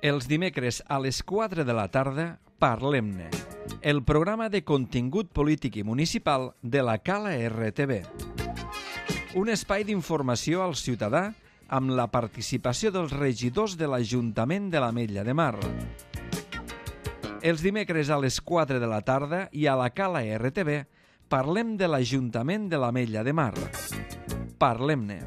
Els dimecres a les 4 de la tarda, Parlem-ne, el programa de contingut polític i municipal de la Cala RTV. Un espai d'informació al ciutadà amb la participació dels regidors de l'Ajuntament de l'Ametlla de Mar. Els dimecres a les 4 de la tarda i a la Cala RTV parlem de l'Ajuntament de l'Ametlla de Mar. Parlem-ne.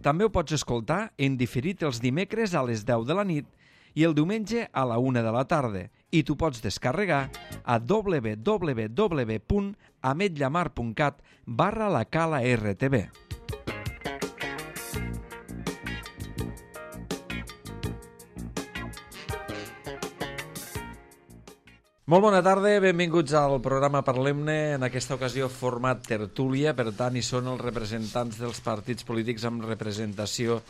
També ho pots escoltar en diferit els dimecres a les 10 de la nit i el diumenge a la 1 de la tarda. I t'ho pots descarregar a www.ametllamar.cat/la-cala-rtv. Molt bona tarda, benvinguts al programa Parlem-ne, en aquesta ocasió format tertúlia, per tant hi són els representants dels partits polítics amb representació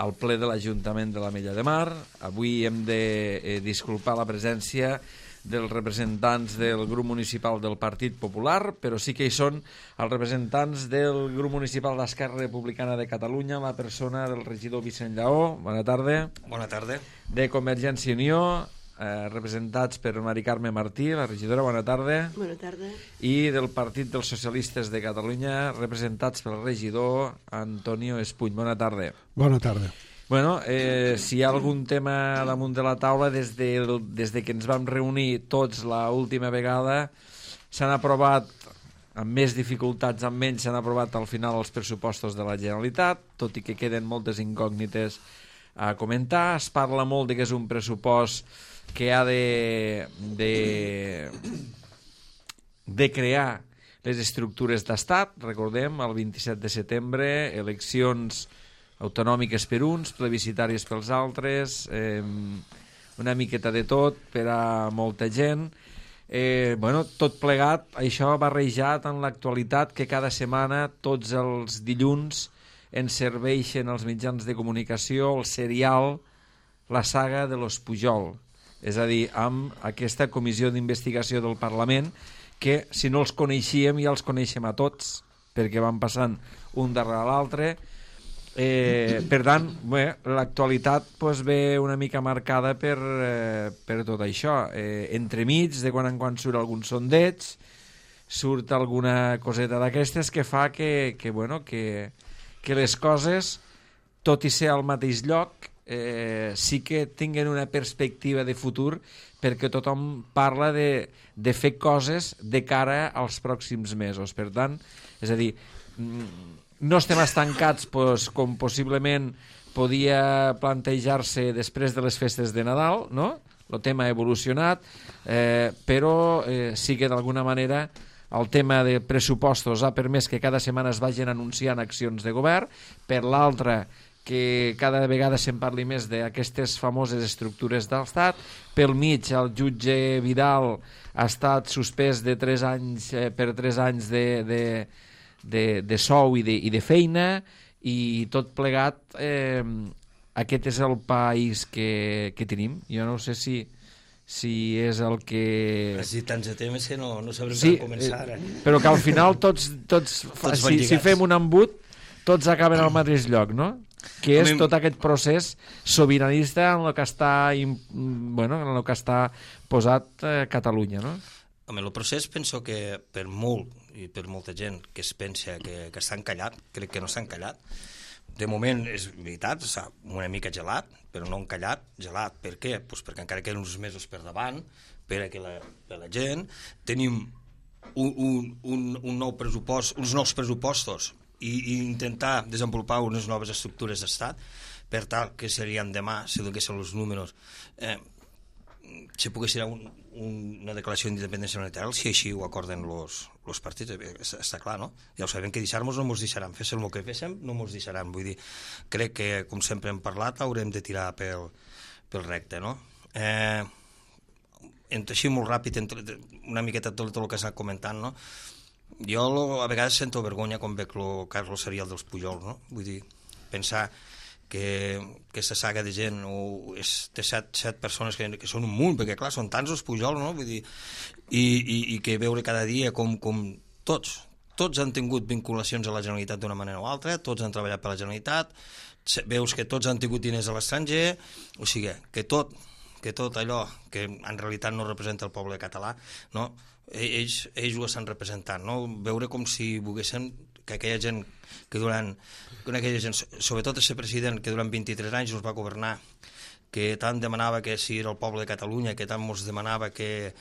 al ple de l'Ajuntament de l'Ametlla de Mar. Avui hem de disculpar la presència dels representants del grup municipal del Partit Popular, però sí que hi són els representants del grup municipal d'Esquerra Republicana de Catalunya, la persona del regidor Vicent Lleó. Bona tarda. Bona tarda. De Convergència i Unió, representats per Mari Carme Martí, la regidora. Bona tarda. Bona tarda. I del Partit dels Socialistes de Catalunya, representats pel regidor Antonio Espuny. Bona tarda. Bona tarda. Bueno, si hi ha algun tema damunt de la taula, des de que ens vam reunir tots l'última vegada, s'han aprovat, amb més dificultats, amb menys, s'han aprovat al final els pressupostos de la Generalitat, tot i que queden moltes incògnites a comentar. Es parla molt de que és un pressupost que ha de crear les estructures d'estat. Recordem, el 27 de setembre, eleccions autonòmiques per uns, plebiscitàries pels altres, una miqueta de tot per a molta gent. Tot plegat, això barrejat en l'actualitat, que cada setmana, tots els dilluns, ens serveixen els mitjans de comunicació el serial La saga de los Pujol, és a dir, amb aquesta comissió d'investigació del Parlament, que si no els coneixíem ja els coneixem a tots, perquè van passant un darrere l'altre. Per tant, l'actualitat ve una mica marcada per tot això. Entremig, de quan en quan surt algun sondeig, surt alguna coseta d'aquestes que fa que les coses, tot i ser al mateix lloc, sí que tinguen una perspectiva de futur, perquè tothom parla de fer coses de cara als pròxims mesos. Per tant, és a dir, no estem estancats com possiblement podia plantejar-se després de les festes de Nadal, no? El tema ha evolucionat, però sí que d'alguna manera el tema de pressupostos ha permès que cada setmana es vagin anunciant accions de govern. Per l'altra, que cada vegada se'n parli més d'aquestes famoses estructures d'estat. Pel mig, el jutge Vidal ha estat suspès de 3 anys per 3 anys de sou i de feina, i tot plegat, aquest és el país que tenim. Jo no sé si és el que... Has dit tants de temes que no sabrem com començar. Però que al final tots si fem un embut, tots acaben al mateix lloc, no? Que és tot aquest procés sobiranista en el que està posat Catalunya, no? Home, el procés penso que per molt i per molta gent que es pensa que estan callat, crec que no s'han callat. De moment és veritat, està una mica gelat, però no encallat. Gelat per què? Pues perquè encara queden uns mesos per davant, per a que la gent tenim un nou pressupost, uns nous pressupostos, i intentar desenvolupar unes noves estructures d'estat, per tal que serien demà, si donessin els números, si pogués ser una declaració d'independència unilateral, si així ho acorden els partits, està clar, no? Ja ho sabem que deixar-nos no ens deixaran, féssim el que féssim no ens deixaran, vull dir, crec que, com sempre hem parlat, haurem de tirar pel recte, no? Així molt ràpid, una miqueta tot el que s'ha comentant, no? Jo a vegades sento vergonya quan veig el Carlos serial dels Pujol, no? Vull dir, pensar que aquesta saga de gent té set persones que són un munt, perquè clar, són tants els Pujol, no? Vull dir, i que veure cada dia com tots tots han tingut vinculacions a la Generalitat d'una manera o altra, tots han treballat per la Generalitat, veus que tots han tingut diners a l'estranger, o sigui, que tot allò que en realitat no representa el poble català, no? ells ho estan representant, no? Veure com si volguessin que aquella gent sobretot el president que durant 23 anys ens va governar, que tant demanava que si era el poble de Catalunya, que tant ens demanava que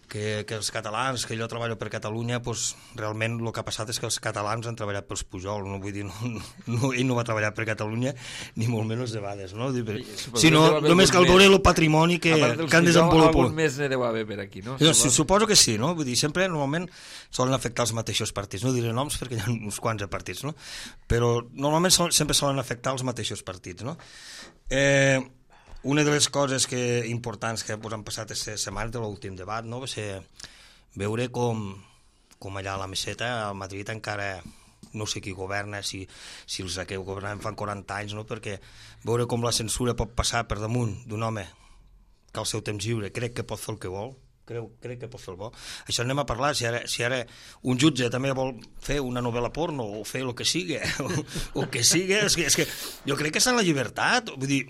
els catalans, que jo treballo per Catalunya, doncs realment el que ha passat és que els catalans han treballat pels Pujol, no vull dir, ell no va treballar per Catalunya, ni molt menys de vegades, no? Sinó només cal veure el patrimoni que han desenvolupat. Algun més ne deu haver per aquí, no? Suposo que sí, no? Vull dir, sempre, normalment, solen afectar els mateixos partits, no diré noms perquè hi ha uns quants de partits, no? Però normalment sempre solen afectar els mateixos partits, no? Una de les coses importants que han passat aquesta setmana de l'últim debat, no? Va ser veure com allà a la Meseta, a Madrid, encara no sé qui governa, si els que governaven fan 40 anys, no? Perquè veure com la censura pot passar per damunt d'un home que al seu temps lliure crec que pot fer el que vol, crec que pot fer el bo. Això anem a parlar, si ara un jutge també vol fer una novel·la porno o fer el que sigui, o que sigui, és que jo crec que és en la llibertat, vull dir,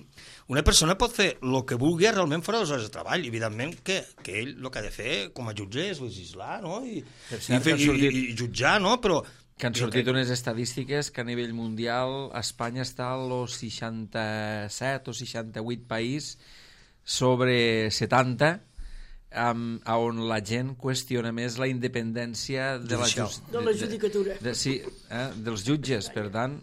una persona pot fer el que vulgui realment fora de les hores de treball, evidentment que ell el que ha de fer com a jutge és legislar, no? I jutjar, no? Però que han sortit unes estadístiques que a nivell mundial Espanya està als 67 o 68 país sobre 70 on la gent qüestiona més la independència de la judicatura. Sí, dels jutges. Per tant,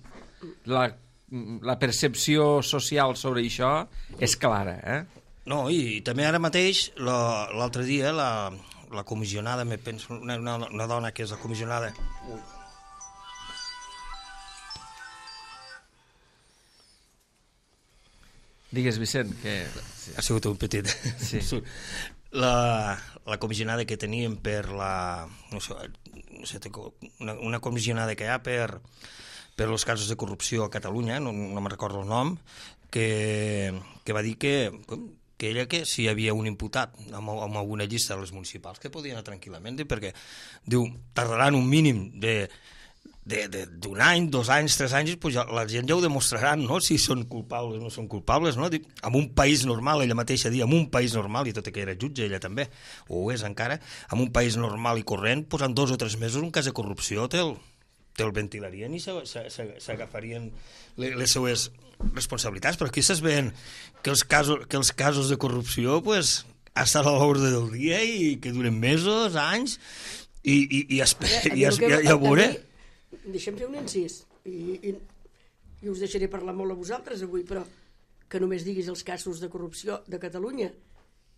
la percepció social sobre això és clara. No, i també ara mateix, l'altre dia, la comissionada, me penso, una dona que és la comissionada... Digues, Vicent, que... Ha sigut un petit... Sí. La comissionada que teníem per la... No sé, una comissionada que hi ha per els casos de corrupció a Catalunya, no me'n recordo el nom, que va dir que ella que si hi havia un imputat amb alguna llista de les municipals que podia anar tranquil·lament, perquè diu, tardaran un mínim d'un any, 2 anys, 3 anys, pues la gent ja ho demostraran, no? Si són culpables o no són culpables, no? En un país normal, ella mateixa dia, en un país normal, i tot i que era jutge, ella també, o ho és encara, en un país normal i corrent, pues en 2 o 3 mesos un cas de corrupció te'l ventilarien i s'agafarien les seues responsabilitats, però aquí s'es veient que els casos de corrupció pues, estan a l'ordre del dia i que duren mesos, anys, i a veure... Deixem fer un incís i us deixaré parlar molt a vosaltres avui, però que només diguis els casos de corrupció de Catalunya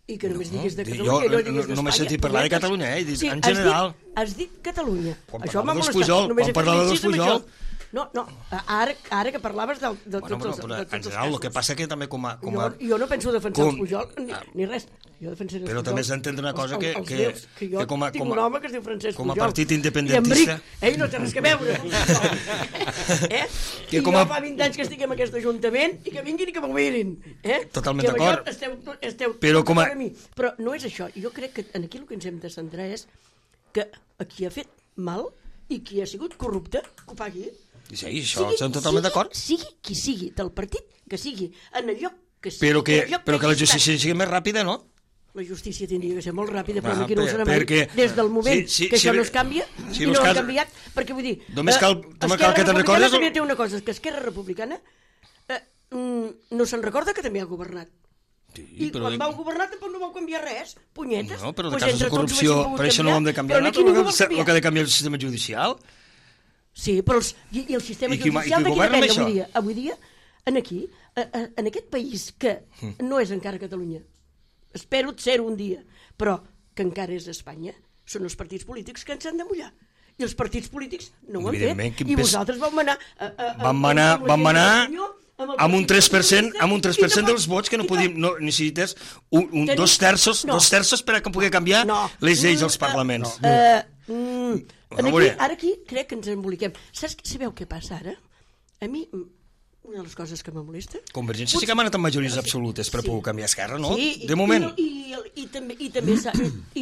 i que només diguis de Catalunya i no diguis d'Espanya. No m'he sentit parlar de Catalunya, en general. Has dit Catalunya. Això m'ha molestat. Quan parlava dels Pujol... No, ara que parlaves de tots els casos. En general, el que passa que també com a... Jo no penso defensar els Pujol ni res. Jo defensaré els Pujol. Però també s'ha d'entendre una cosa que jo tinc un home que es diu Francesc Pujol. Com a partit independentista... Ell no té res que veure. I jo fa 20 anys que estic en aquest ajuntament i que vinguin i que m'ho mirin. Totalment d'acord. Esteu d'acord amb mi. Però no és això. Jo crec que aquí el que ens hem de centrar és que qui ha fet mal i qui ha sigut corrupte, que ho pagui. Sí, això estem totalment d'acord. Sigui qui sigui, del partit que sigui, en el lloc que sigui. Però que la justícia sigui més ràpida, no? La justícia tindria que ser molt ràpida, però aquí no ho serà mai. Des del moment que això no es canvia, i no ha canviat, perquè vull dir... Només cal que te'n recordes... També té una cosa, que Esquerra Republicana no se'n recorda que també ha governat. I quan vau governar tampoc no vau canviar res, punyetes. No, però de casos de corrupció, per això no ho hem de canviar, el que ha de canviar el sistema judicial... Sí, però el sistema judicial de qui depèn avui dia, en aquest país que no és encara Catalunya, espero ser-ho un dia, però que encara és Espanya, són els partits polítics que ens han de mullar. I els partits polítics no ho han fet. I vosaltres vau anar... Vam anar amb un 3% dels vots que no podíem... Necessites dos terços per a poder canviar les lleis dels parlaments. Ara aquí crec que ens emboliquem. Sabeu què passa ara? A mi una de les coses que me molesta... Convergència sí que ha anat amb majories absolutes per poder canviar Esquerra, no? Sí, de moment. I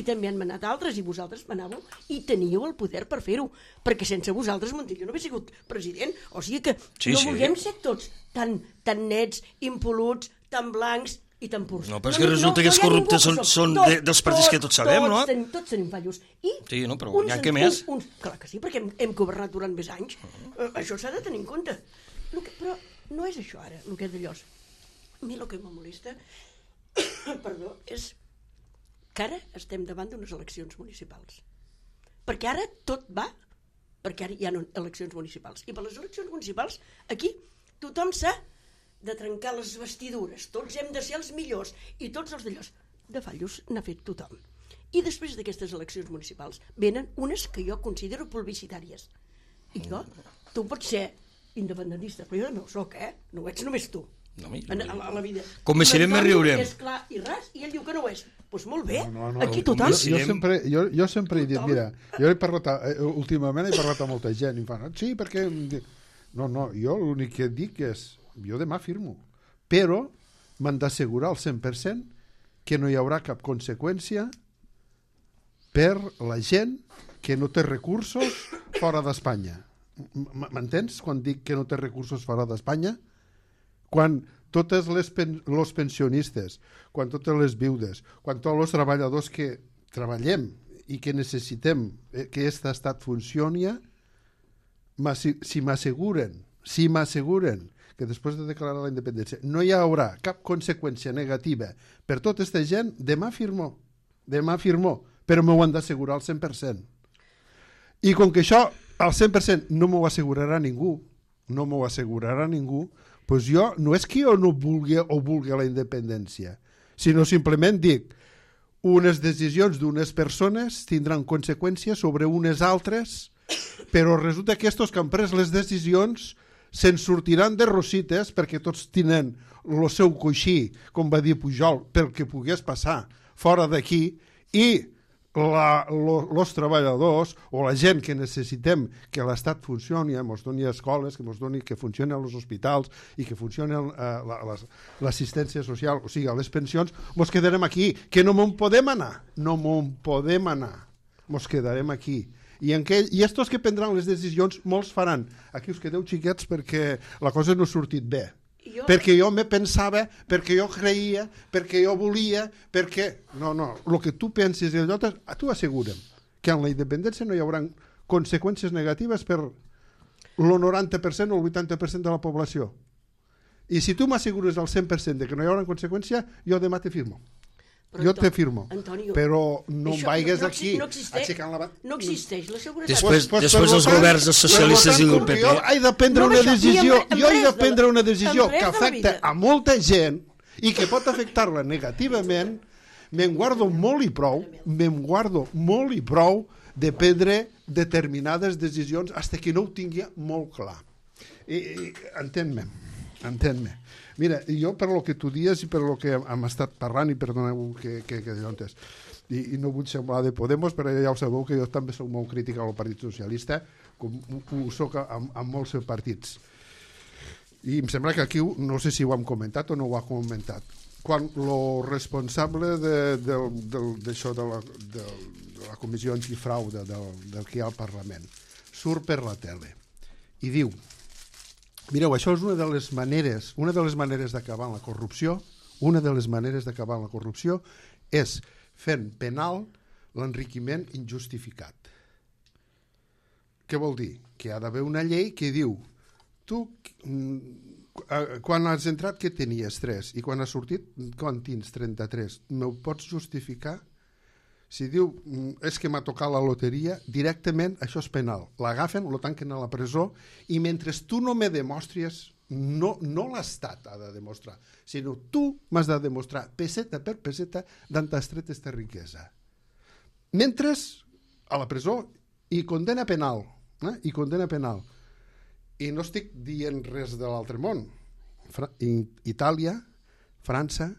també han manat altres, i vosaltres manàveu, i teníeu el poder per fer-ho, perquè sense vosaltres Montilla no hauria sigut president. O sigui que no vulguem ser tots tan nets, impoluts, tan blancs i tan purs. No, però és que resulta que els corruptes són dels partits que tots sabem, no? Tots tenim fallos. Sí, no, però n'hi ha què més? Clar que sí, perquè hem governat durant més anys. Això s'ha de tenir en compte. Però no és això ara, el que és d'allò. A mi el que me molesta perdó, és que ara estem davant d'unes eleccions municipals. Perquè ara tot va, perquè ara hi ha eleccions municipals. I per les eleccions municipals, aquí, tothom s'ha de trencar les vestidures, tots hem de ser els millors, i tots els d'allò. De fallos n'ha fet tothom. I després d'aquestes eleccions municipals venen unes que jo considero publicitàries. I jo, tu pots ser independentista, però jo no ho soc, no ho ets només tu. No, a la vida. Començarem i riurem. És clar i ras, i ell diu que no ho és. Doncs molt bé, aquí tothom. Jo sempre he dit, mira, jo últimament he parlat amb molta gent i em fan, sí, perquè... No, jo l'únic que dic és, jo demà firmo, però m'han d'assegurar al 100% que no hi haurà cap conseqüència per la gent que no té recursos fora d'Espanya. M'entens quan dic que no té recursos fora d'Espanya? Quan tots els pensionistes, quan totes les viudes, quan tots els treballadors que treballem i que necessitem que aquest estat funcioni, si m'asseguren que després de declarar la independència no hi haurà cap conseqüència negativa per tota aquesta gent, demà firmo, però m'ho han d'assegurar al 100%. I com que això al 100% no m'ho assegurarà ningú, doncs jo, no és que jo no vulgui o vulgui la independència, sinó simplement dic, unes decisions d'unes persones tindran conseqüències sobre unes altres, però resulta que aquests que han pres les decisions se'n sortiran de rosites perquè tots tenen el seu coixí, com va dir Pujol, pel que pogués passar fora d'aquí, i els treballadors o la gent que necessitem que l'Estat funcioni, ens doni escoles, que funcionin els hospitals i que funcioni l'assistència social, o sigui, les pensions, ens quedarem aquí, que no m'on podem anar, ens quedarem aquí. I estos que prendran les decisions, molts faran. Aquí us quedeu xiquets perquè la cosa no ha sortit bé. Perquè jo me pensava, perquè jo creia, perquè jo volia, perquè... No, el que tu penses i allò, tu assegura'm que en la independència no hi haurà conseqüències negatives per el 90% o el 80% de la població. I si tu m'assegures al 100% de que no hi haurà conseqüència, jo demà te firmo. Jo te firmo, Antonio, però no em vaigues aquí aixecant la mà. No existeix la seguretat. Després dels governs dels socialistes i del PP. Jo he de prendre una decisió que afecta a molta gent i que pot afectar-la negativament, me'n guardo molt i prou de prendre determinades decisions fins que no ho tingui molt clar. Entén-me. Mira, jo per lo que tu dius i per lo que hem estat parlant, i perdoneu que llantes, i no vull semblar de Podemos, però ja ho sabeu que jo també soc molt crític al Partit Socialista, com ho soc amb molts partits. I em sembla que aquí, no sé si ho hem comentat o no ho ha comentat, quan el responsable d'això de la comissió antifrau del que hi ha al Parlament surt per la tele i diu: mireu, això és una de les maneres d'acabar la corrupció, és fent penal l'enriquiment injustificat. Què vol dir? Que hi ha d'haver una llei que diu, tu, quan has entrat, què tenies? 3, i quan has sortit, quan tens 33? M'ho pots justificar? Si diu, és que m'ha tocat la loteria, directament això és penal. L'agafen, lo tanquen a la presó, i mentre tu no me demostries, no l'Estat ha de demostrar, sinó tu m'has de demostrar, peseta per peseta, d'on t'has tret aquesta riquesa. Mentre, a la presó, i condena penal. I no estic dient res de l'altre món. Itàlia, França,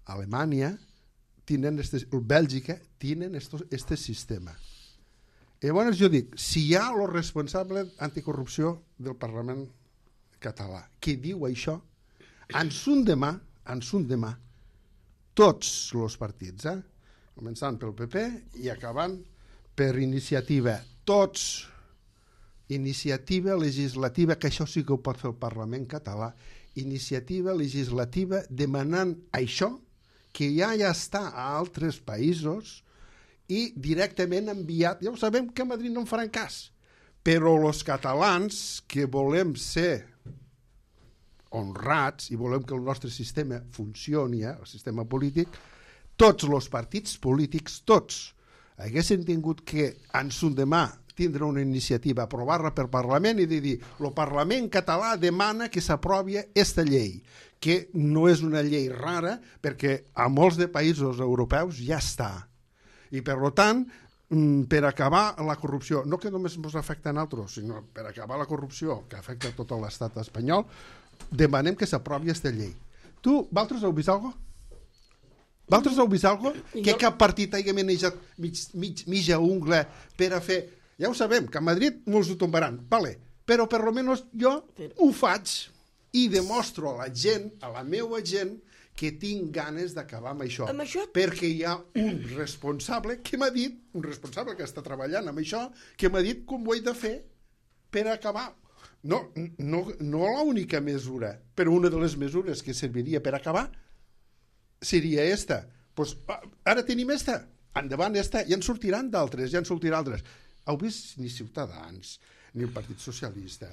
Alemanya, Bèlgica tenen este sistema. I llavors jo dic, si hi ha el responsable anticorrupció del Parlament català que diu això, ens un demà, tots els partits, començant pel PP i acabant per Iniciativa, tots, iniciativa legislativa, que això sí que ho pot fer el Parlament català, iniciativa legislativa demanant això, que ja està a altres països i directament enviat. Ja ho sabem que a Madrid no en faran cas, però els catalans que volem ser honrats i volem que el nostre sistema funcioni, el sistema polític, tots els partits polítics, tots, haguessin tingut que demà tindre una iniciativa, aprovar-la per Parlament i dir, el Parlament català demana que s'aprovi aquesta llei, que no és una llei rara perquè a molts de països europeus ja està. I per tant, per acabar la corrupció, no que només ens afecta a nosaltres, sinó per acabar la corrupció que afecta a tot l'estat espanyol, demanem que s'aprovi aquesta llei. Tu, vosaltres heu vist alguna cosa? Vosaltres heu vist alguna cosa? Que cap partit hagi manejat mitja ungla per a fer... Ja ho sabem, que a Madrid no els ho tombaran, vale. Però per almenys jo ho faig i demostro a la gent, a la meva gent, que tinc ganes d'acabar amb això. Perquè hi ha un responsable que m'ha dit, un responsable que està treballant amb això, que m'ha dit com ho he de fer per acabar. No l'única mesura, però una de les mesures que serviria per acabar seria esta. Pues, ara tenim esta, endavant esta, i en sortiran d'altres, Heu vist ni Ciutadans, ni el Partit Socialista,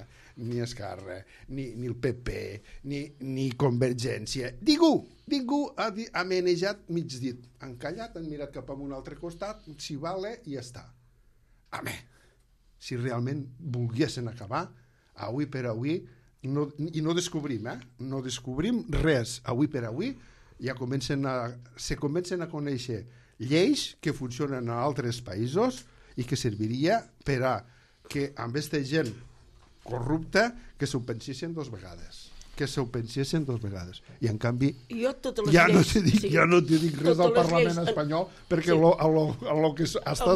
ni Esquerra, ni el PP, ni Convergència. Ningú ha manejat mig dit. Han callat, han mirat cap a un altre costat, si vale, i ja està. Home, si realment volguessin acabar, avui per avui, i no descobrim res avui per avui, ja comencen a conèixer lleis que funcionen a altres països i que serviria per a que amb aquesta gent corrupta que s'ho pensessin dos vegades. I en canvi ja no te dic res del Parlament espanyol perquè el que està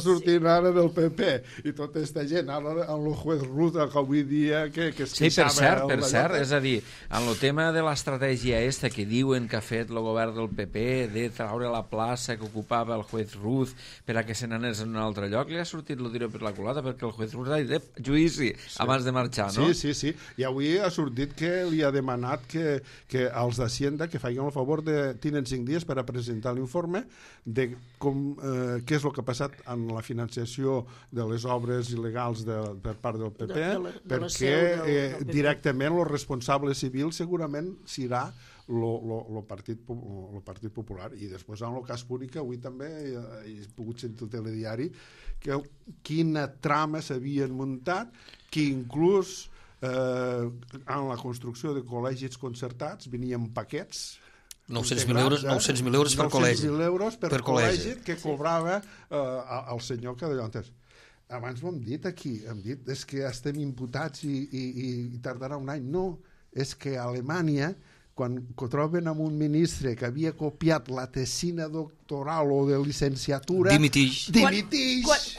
sortint ara del PP i tota aquesta gent, ara amb el juez Ruta que avui dia que es queixava... Sí, per cert, és a dir, en el tema de l'estratègia esta que diuen que ha fet el govern del PP de traure la plaça que ocupava el juez Ruz per a que se n'anés en un altre lloc, li ha sortit el tiro per la culata perquè el juez Ruz ha dit judici abans de marxar, no? Sí, i avui ha sortit que li ha demanat que els d'Hacienda que facin el favor de... Tenen 5 dies per a presentar l'informe de què és el que ha passat en la financiació de les obres il·legals per part del PP, perquè directament el responsable civil segurament serà el Partit Popular. I després en el cas Púnica avui també he pogut sentir el telediari quina trama s'havien muntat, que inclús en la construcció de col·legis concertats venien paquets 900.000 euros per col·legi. 900.000 euros per col·legi que cobrava el senyor que d'allò antes. Abans ho hem dit aquí, és que estem imputats i tardarà un any. No, és que a Alemanya, quan troben amb un ministre que havia copiat la tesina doctoral o de licenciatura... Dimitix.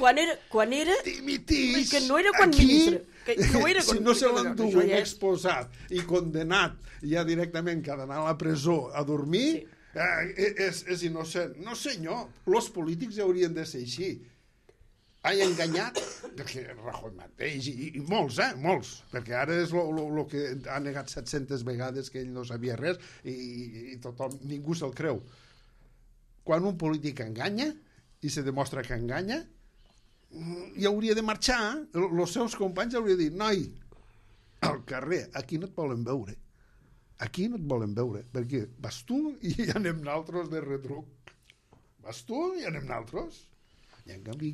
Quan era... Dimitix. Que no era quan ministre. Si no se l'enduen exposat i condenat ja directament que ha d'anar a la presó a dormir, és innocent. No senyor, els polítics haurien de ser així. Ha enganyat, perquè Rajoy mateix, i molts, perquè ara és el que ha negat 700 vegades que ell no sabia res i tothom, ningú se'l creu. Quan un polític enganya i se demostra que enganya, i hauria de marxar, els seus companys haurien de dir, noi, al carrer, aquí no et volen veure, perquè vas tu i anem naltros de retruc, i en canvi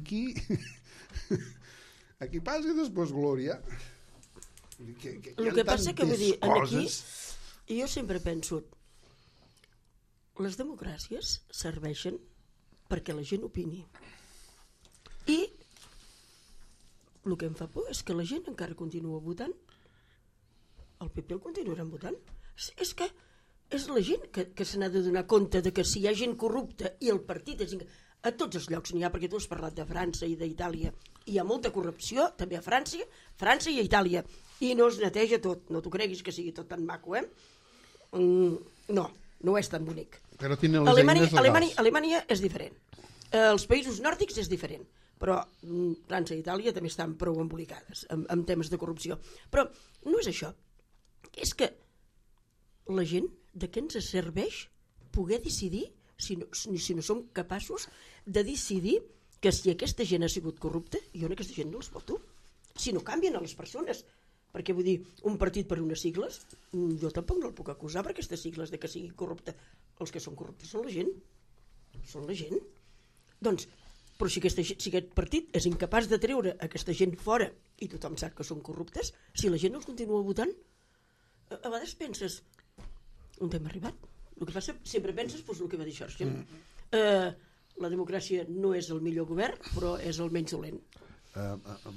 aquí passa i després glòria. El que passa que vull dir, aquí jo sempre penso, les democràcies serveixen perquè la gent opini, i el que em fa por és que la gent encara continua votant, el PP el continuaran votant. És que és la gent que se n'ha de donar compte de que si hi ha gent corrupta i el partit és... A tots els llocs n'hi ha, perquè tu has parlat de França i d'Itàlia. Hi ha molta corrupció, també a França i a Itàlia. i no es neteja tot. No t'ho creguis que sigui tot tan maco, No, no és tan bonic. Però tenen les eines legals. Alemanya és diferent. Els països nòrdics és diferent, però França i Itàlia també estan prou embolicades amb temes de corrupció. Però no és això. És que la gent, de què ens serveix poder decidir si no som capaços de decidir que si aquesta gent ha sigut corrupta, jo aquesta gent no els voto. Si no canvien a les persones. Perquè vull dir, un partit per unes sigles, jo tampoc no el puc acusar per aquestes sigles de que sigui corrupte. Els que són corruptes són la gent. Són la gent. Doncs, però si aquest partit és incapaç de treure aquesta gent fora i tothom sap que són corruptes, si la gent no els continua votant, a vegades penses, on hem arribat? El que passa, sempre penses el que va dir Churchill. La democràcia no és el millor govern, però és el menys dolent.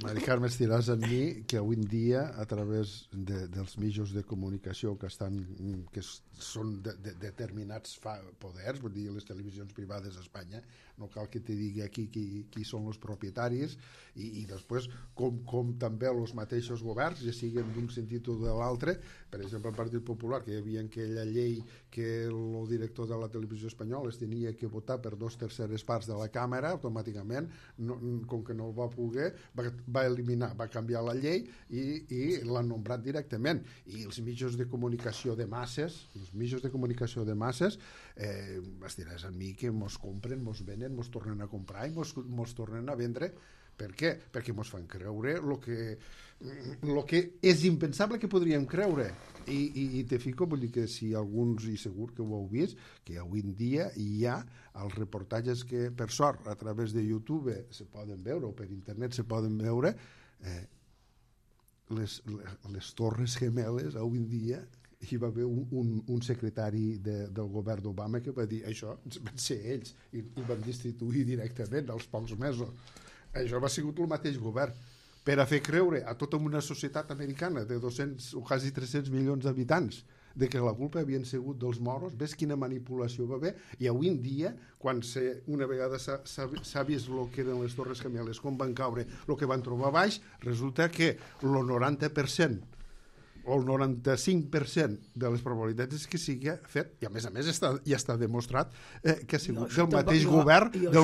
Mari Carme, estiràs amb mi que avui en dia, a través dels mitjans de comunicació que són determinats poders, vull dir, les televisions privades a Espanya, no cal que te digui aquí qui són els propietaris, i després com també els mateixos governs, ja siguin d'un sentit o de l'altre. Per exemple, el Partit Popular, que hi havia aquella llei que el director de la televisió espanyola es tenia que votar per 2/3 parts de la càmera, automàticament, com que no el va poder, va eliminar, va canviar la llei i l'han nombrat directament. I els mitjans de comunicació de masses, es diràs a mi que mos compren, mos venen, mos tornen a comprar i mos tornen a vendre. Per què? Perquè mos fan creure el que és impensable que podríem creure. I te fico, vull dir que si alguns, i segur que ho heu vist, que avui en dia hi ha els reportatges que, per sort, a través de YouTube se poden veure, o per internet se poden veure, les Torres Gemeles, avui en dia, hi va haver un secretari del govern d'Obama que va dir això, van ser ells, i van destituir directament als pocs mesos. Això va sigut el mateix govern per a fer creure a tota una societat americana de 200 o quasi 300 milions d'habitants de que la culpa havien sigut dels moros. Ves quina manipulació va haver, i avui en dia, quan una vegada s'ha vist el que eren les Torres Gemeles, com van caure, el que van trobar baix, resulta que el 90% o el 95% de les probabilitats és que sigui fet, i a més ja està demostrat que ha sigut del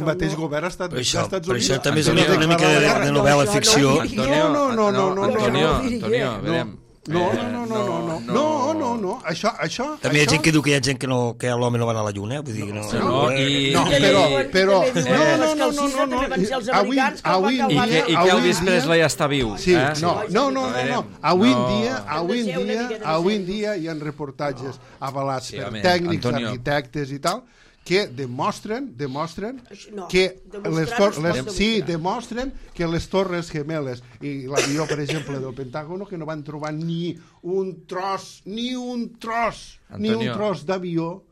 mateix govern als Estats Units. Per això també és una mica de novel·la ficció. Antonio, No, això... També hi ha gent que diu que hi ha gent que l'home no va anar a la lluna, vull dir que però... I que Elvis Presley està viu. No. Avui en dia hi ha reportatges avalats per tècnics, arquitectes i tal, que demostren que les Torres Gemeles i l'avió, per exemple, del Pentágono, que no van trobar ni un tros d'avió,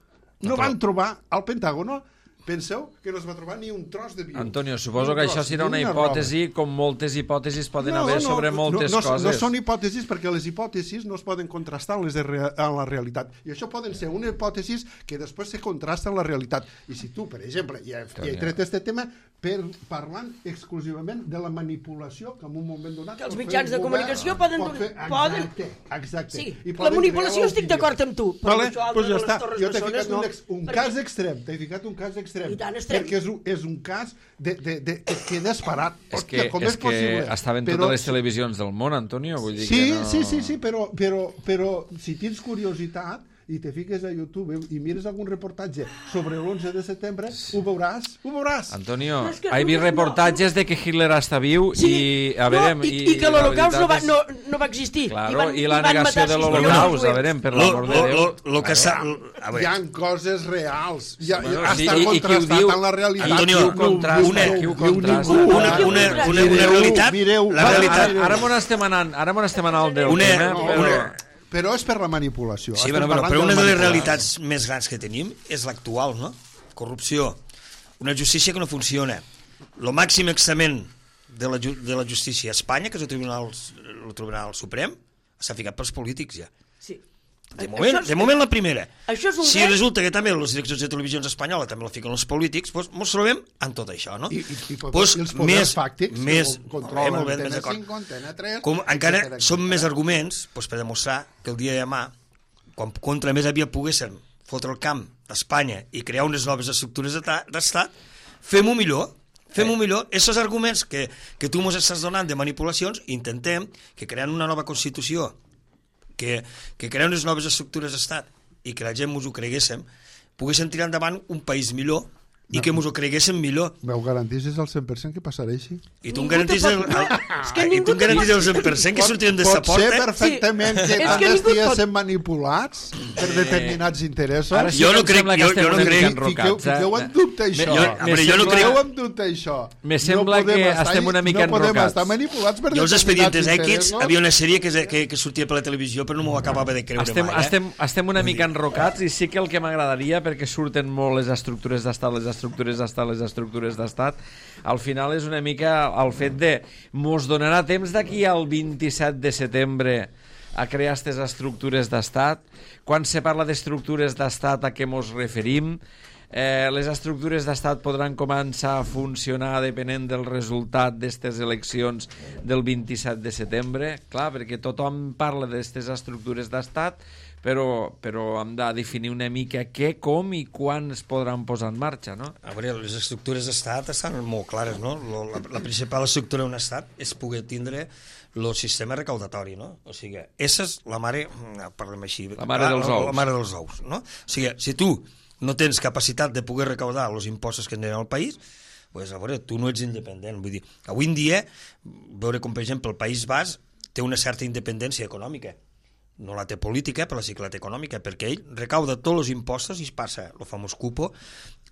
no van trobar al Pentágono. Penseu que no es va trobar ni un tros d'avió. Antonio, suposo que això serà una hipòtesi, com moltes hipòtesis poden haver sobre moltes coses. No són hipòtesis, perquè les hipòtesis no es poden contrastar amb la realitat. I això poden ser una hipòtesi que després se contrasta amb la realitat. I si tu, per exemple, i he tret aquest tema parlant exclusivament de la manipulació que en un moment donat... Que els mitjans de comunicació poden... Exacte. Sí, la manipulació estic d'acord amb tu. Vale, doncs ja està. Jo t'he ficat un cas extrem. T'he ficat un cas extrem. Perquè és un cas que queda esperat. És que estaven totes les televisions del món, Antonio. Sí, però si tens curiositat i te fiques a YouTube i mires algun reportatge sobre l'11 de setembre, ho veuràs. Antonio, he vist reportatges de que Hitler està viu i que l'Holocaust no va existir. Claro, i la negació de l'Holocaust, a veure, per l'amor de Déu. Hi ha coses reals. Està contrastat amb la realitat. Antonio, una realitat... Ara m'on estem anant del tema, però és per la manipulació. Sí, però una de les realitats més grans que tenim és l'actual, no? Corrupció, una justícia que no funciona, el màxim examen de la justícia a Espanya, que és el Tribunal Suprem, s'ha ficat pels polítics ja. Sí. De moment la primera. Si dret. resulta que també les direccions de televisions espanyoles també la fiquen els polítics, doncs ens trobem amb tot això, no? I els poders fàctics controlen Antena 5, Antena 3... Encara són més arguments per demostrar que el dia de demà, quan contra més aviat poguéssim fotre el camp d'Espanya i crear unes noves estructures d'estat, fem-ho millor. Fem-ho millor. Aquests arguments que tu ens estàs donant de manipulacions, intentem que creant una nova Constitució, que crear unes noves estructures d'estat i que la gent ens ho creguéssim, poguéssim tirar endavant un país millor i que ens ho creguéssim millor. M'ho garantissis al 100% que passarà així? I tu em garantissis el 100% que sortirem de sa porta? Pot ser perfectament que també estiguessin manipulats per determinats interessos? Jo no crec. Fiqueu en dubte això. Jo no crec. En dubte això. Me sembla que estem una mica enrocats. No podem estar manipulats per determinats interessos. Jo els Expedientes X havia una sèrie que sortia per la televisió però no m'ho acabava de creure mai. Estem una mica enrocats i sí que el que m'agradaria, perquè surten molt les estructures d'estat, al final és una mica el fet de mos donarà temps d'aquí al 27 de setembre a crear aquestes estructures d'estat. Quan se parla d'estructures d'estat, a què mos referim? Les estructures d'estat podran començar a funcionar depenent del resultat d'aquestes eleccions del 27 de setembre, clar, perquè tothom parla d'aquestes estructures d'estat, però hem de definir una mica què, com i quan es podran posar en marxa, no? A veure, les estructures d'estat estan molt clares, no? La principal estructura d'un estat és poder tindre el sistema recaudatori, no? O sigui, essa és la mare, parlem així, la mare dels ous. La mare dels ous, no? O sigui, si tu no tens capacitat de poder recaudar els impostos que tenen al país, pues, a veure, tu no ets independent. Vull dir, avui en dia, veure com, per exemple, el País Basc té una certa independència econòmica. No la té política, però sí que la té econòmica, perquè ell recauda tots els impostos i es passa el famós cupo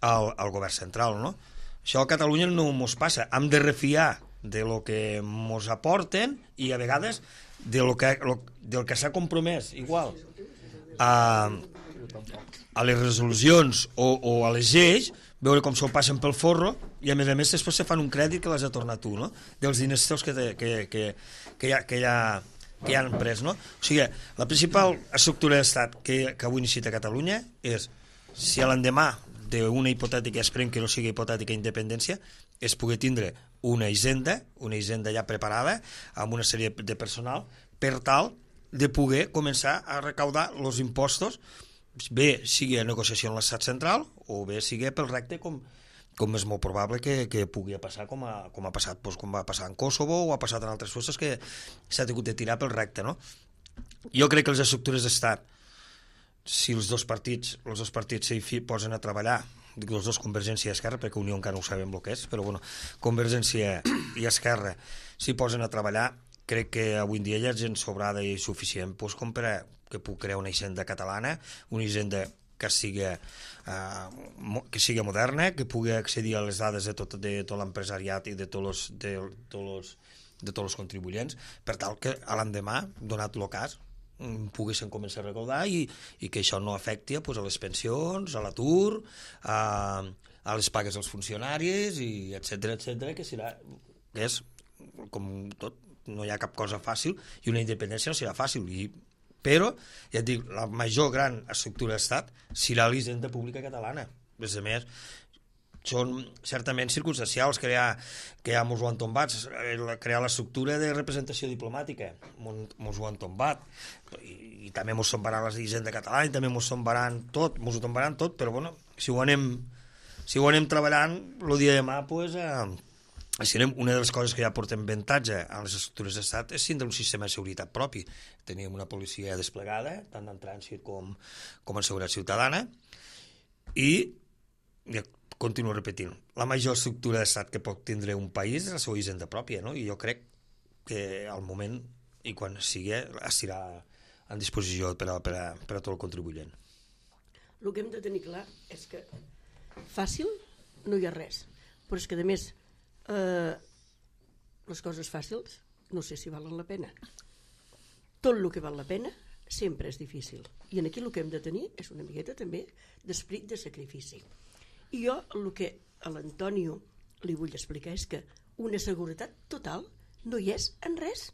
al govern central, no? Això a Catalunya no mos passa. Hem de refiar de lo que mos aporten i a vegades del que s'ha compromès igual a les resolucions o a les lleis, veure com se'l passen pel forro i a més després se fan un crèdit que les ha tornat tu, no? Dels diners teus que ja han pres, no? O sigui, la principal estructura d'estat que avui necessita Catalunya és, si a l'endemà d'una hipotètica, esperem que no sigui hipotètica independència, és poder tindre una hisenda ja preparada amb una sèrie de personal per tal de poder començar a recaudar els impostos, bé sigui a negociació en l'estat central o bé sigui pel recte com és molt probable que pugui passar com ha passat, doncs, com va passar en Kosovo o ha passat en altres coses que s'ha hagut de tirar pel recte, no? Jo crec que les estructures d'estat, si els dos partits s'hi posen a treballar, dic els dos, Convergència i Esquerra, perquè Unió encara no sabem el que és, però bueno, Convergència i Esquerra s'hi posen a treballar, crec que avui en dia hi ha gent sobrada i suficient doncs, com per que pugui crear una hisenda catalana, una hisenda que sigui moderna, que pugui accedir a les dades de tot l'empresariat i de tots els contribuents, per tal que a l'endemà, donat el cas, poguessin començar a recaudar i que això no afecti pues, a les pensions, a l'atur, a les pagues dels funcionaris, i etcètera, que és com tot, no hi ha cap cosa fàcil i una independència no serà fàcil, però, ja et dic, la major gran estructura d'estat serà la hisenda pública catalana. A més, són certament circumstancials crear mos ho han tombat, crear l'estructura de representació diplomàtica, mos ho han tombat, i també mos tombaran la hisenda catalana, i també mos ho tombaran tot, però bueno, si ho anem treballant, el dia de demà, pues, una de les coses que ja portem avantatge a les estructures d'estat és tindre un sistema de seguretat propi. Tenim una policia desplegada, tant en trànsit com en seguretat ciutadana, i continuo repetint, la major estructura d'estat que pot tindre un país és la seva hisenda pròpia, no? I jo crec que al moment, i quan sigui, estirà en disposició per a tot el contribuent. El que hem de tenir clar és que fàcil no hi ha res, però és que a més les coses fàcils no sé si valen la pena. Tot el que val la pena sempre és difícil, i aquí el que hem de tenir és una miqueta també d'esperit de sacrifici. I jo el que a l'Antonio li vull explicar és que una seguretat total no hi és en res,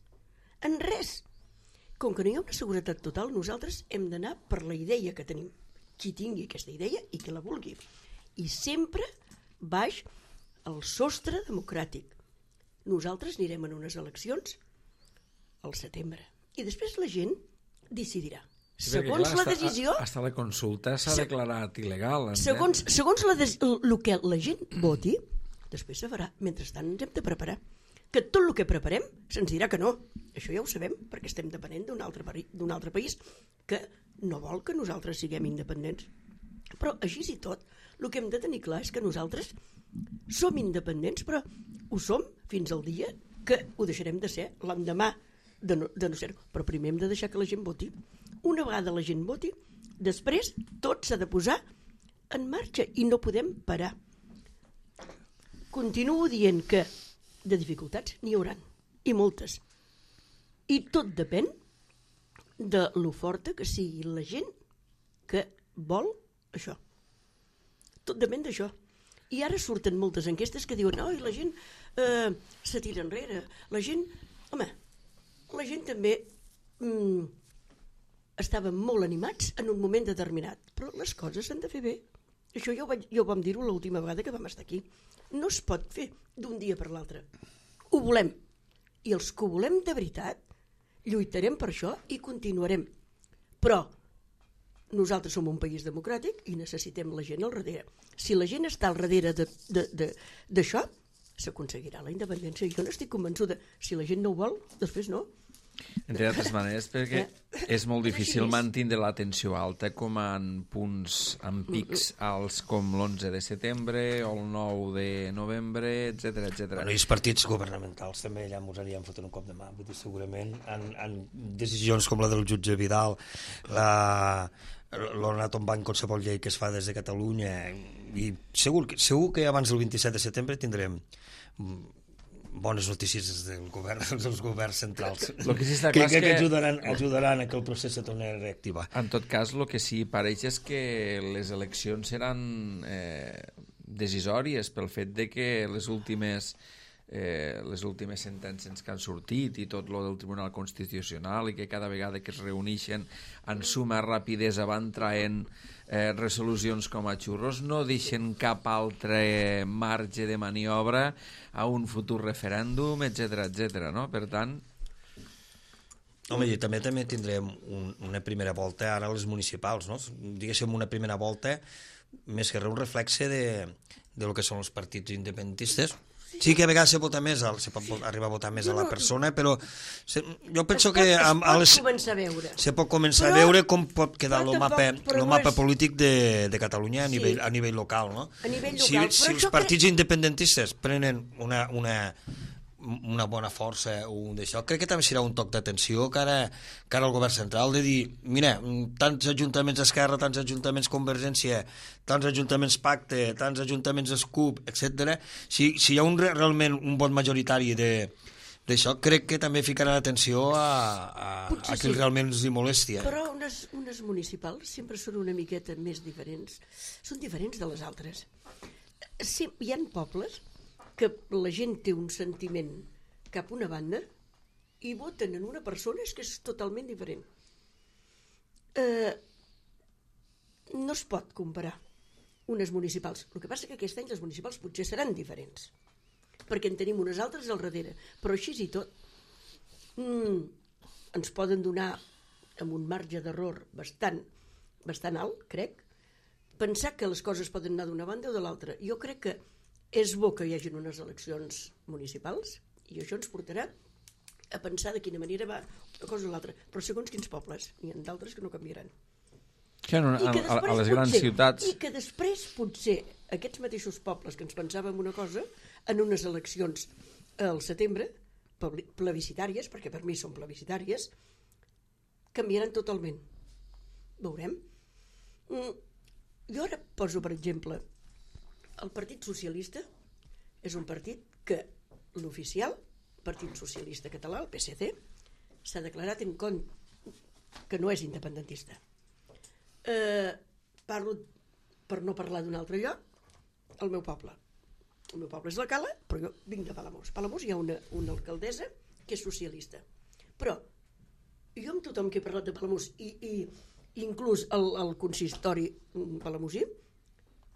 com que no hi ha una seguretat total, nosaltres hem d'anar per la idea que tenim. Qui tingui aquesta idea i qui la vulgui. I sempre baix el sostre democràtic. Nosaltres anirem en unes eleccions al setembre. I després la gent decidirà. Segons la decisió... Hasta la consulta s'ha declarat il·legal. Segons el que la gent voti, després se farà. Mentrestant ens hem de preparar. Que tot el que preparem se'ns dirà que no. Això ja ho sabem, perquè estem depenent d'un altre país que no vol que nosaltres siguem independents. Però així i tot, el que hem de tenir clar és que nosaltres som independents, però ho som fins al dia que ho deixarem de ser l'endemà de no ser-ho. Però primer hem de deixar que la gent voti. Una vegada la gent voti, després tot s'ha de posar en marxa i no podem parar. Continuo dient que de dificultats n'hi hauran, i moltes. I tot depèn de lo forta que sigui la gent que vol això. Tot depèn d'això. I ara surten moltes enquestes que diuen i la gent se tira enrere. La gent, la gent també estaven molt animats en un moment determinat, però les coses s'han de fer bé. Això ja ho vam dir-ho l'última vegada que vam estar aquí. No es pot fer d'un dia per l'altre. Ho volem. I els que ho volem de veritat lluitarem per això i continuarem. Però nosaltres som un país democràtic i necessitem la gent al darrere. Si la gent està al darrere d'això, s'aconseguirà la independència. Jo no estic convençuda. Si la gent no ho vol, després no. Entre altres maneres, perquè és molt difícil mantenir l'atenció alta com en punts, en pics alts com l'11 de setembre o el 9 de novembre, etc etc. Bueno, i els partits governamentals també ja ens anirien fotent un cop de mà. Vull dir, segurament en decisions com la del jutge Vidal, l'ordenat on va en qualsevol llei que es fa des de Catalunya, i segur que abans del 27 de setembre tindrem bones notícies dels governs centrals que ajudaran a que el procés se torni a reactivar. En tot cas, el que sí pareix és que les eleccions seran decisòries pel fet de que les últimes sentències que han sortit i tot lo del Tribunal Constitucional i que cada vegada que es reuneixen en suma rapidesa van traient resolucions com a xurros, no deixen cap altre marge de maniobra a un futur referèndum, etc, no? Per tant... Home, i també tindrem una primera volta ara a les municipals, no? Diguéssim, una primera volta més que res un reflexe de lo que són els partits independentistes. Sí que a vegades se pot arribar a votar més a la persona, però jo penso que se pot començar a veure com pot quedar el mapa polític de Catalunya a nivell local, no? Si els partits independentistes prenen una bona força d'això, crec que també serà un toc d'atenció cara al govern central de dir, mira, tants ajuntaments d'Esquerra, tants ajuntaments Convergència, tants ajuntaments Pacte, tants ajuntaments Escup, etc. Si hi ha realment un vot majoritari d'això, crec que també ficarà l'atenció a qui realment els hi molesti. Però unes municipals sempre són una miqueta més diferents. Són diferents de les altres. Hi ha pobles que la gent té un sentiment cap a una banda i voten en una persona que és totalment diferent. No es pot comparar unes municipals. El que passa que aquest any les municipals potser seran diferents, perquè en tenim unes altres al darrere. Però així i tot, ens poden donar, amb un marge d'error bastant alt, crec, pensar que les coses poden anar d'una banda o de l'altra. Jo crec que és bo que hi hagi unes eleccions municipals i això ens portarà a pensar de quina manera va una cosa o l'altra, però segons quins pobles, n'hi ha d'altres que no canviaran. A les grans ciutats... I que després potser aquests mateixos pobles que ens pensàvem una cosa, en unes eleccions al setembre, plebiscitàries, perquè per mi són plebiscitàries, canviaran totalment. Veurem. Jo ara poso, per exemple, el Partit Socialista és un partit que l'oficial, Partit Socialista Català, el PSC, s'ha declarat en contra que no és independentista. Parlo, per no parlar d'un altre lloc, el meu poble. El meu poble és la Cala, però jo vinc de Palamós. A Palamós hi ha una alcaldessa que és socialista. Però jo amb tothom que he parlat de Palamós i inclús el consistori palamosí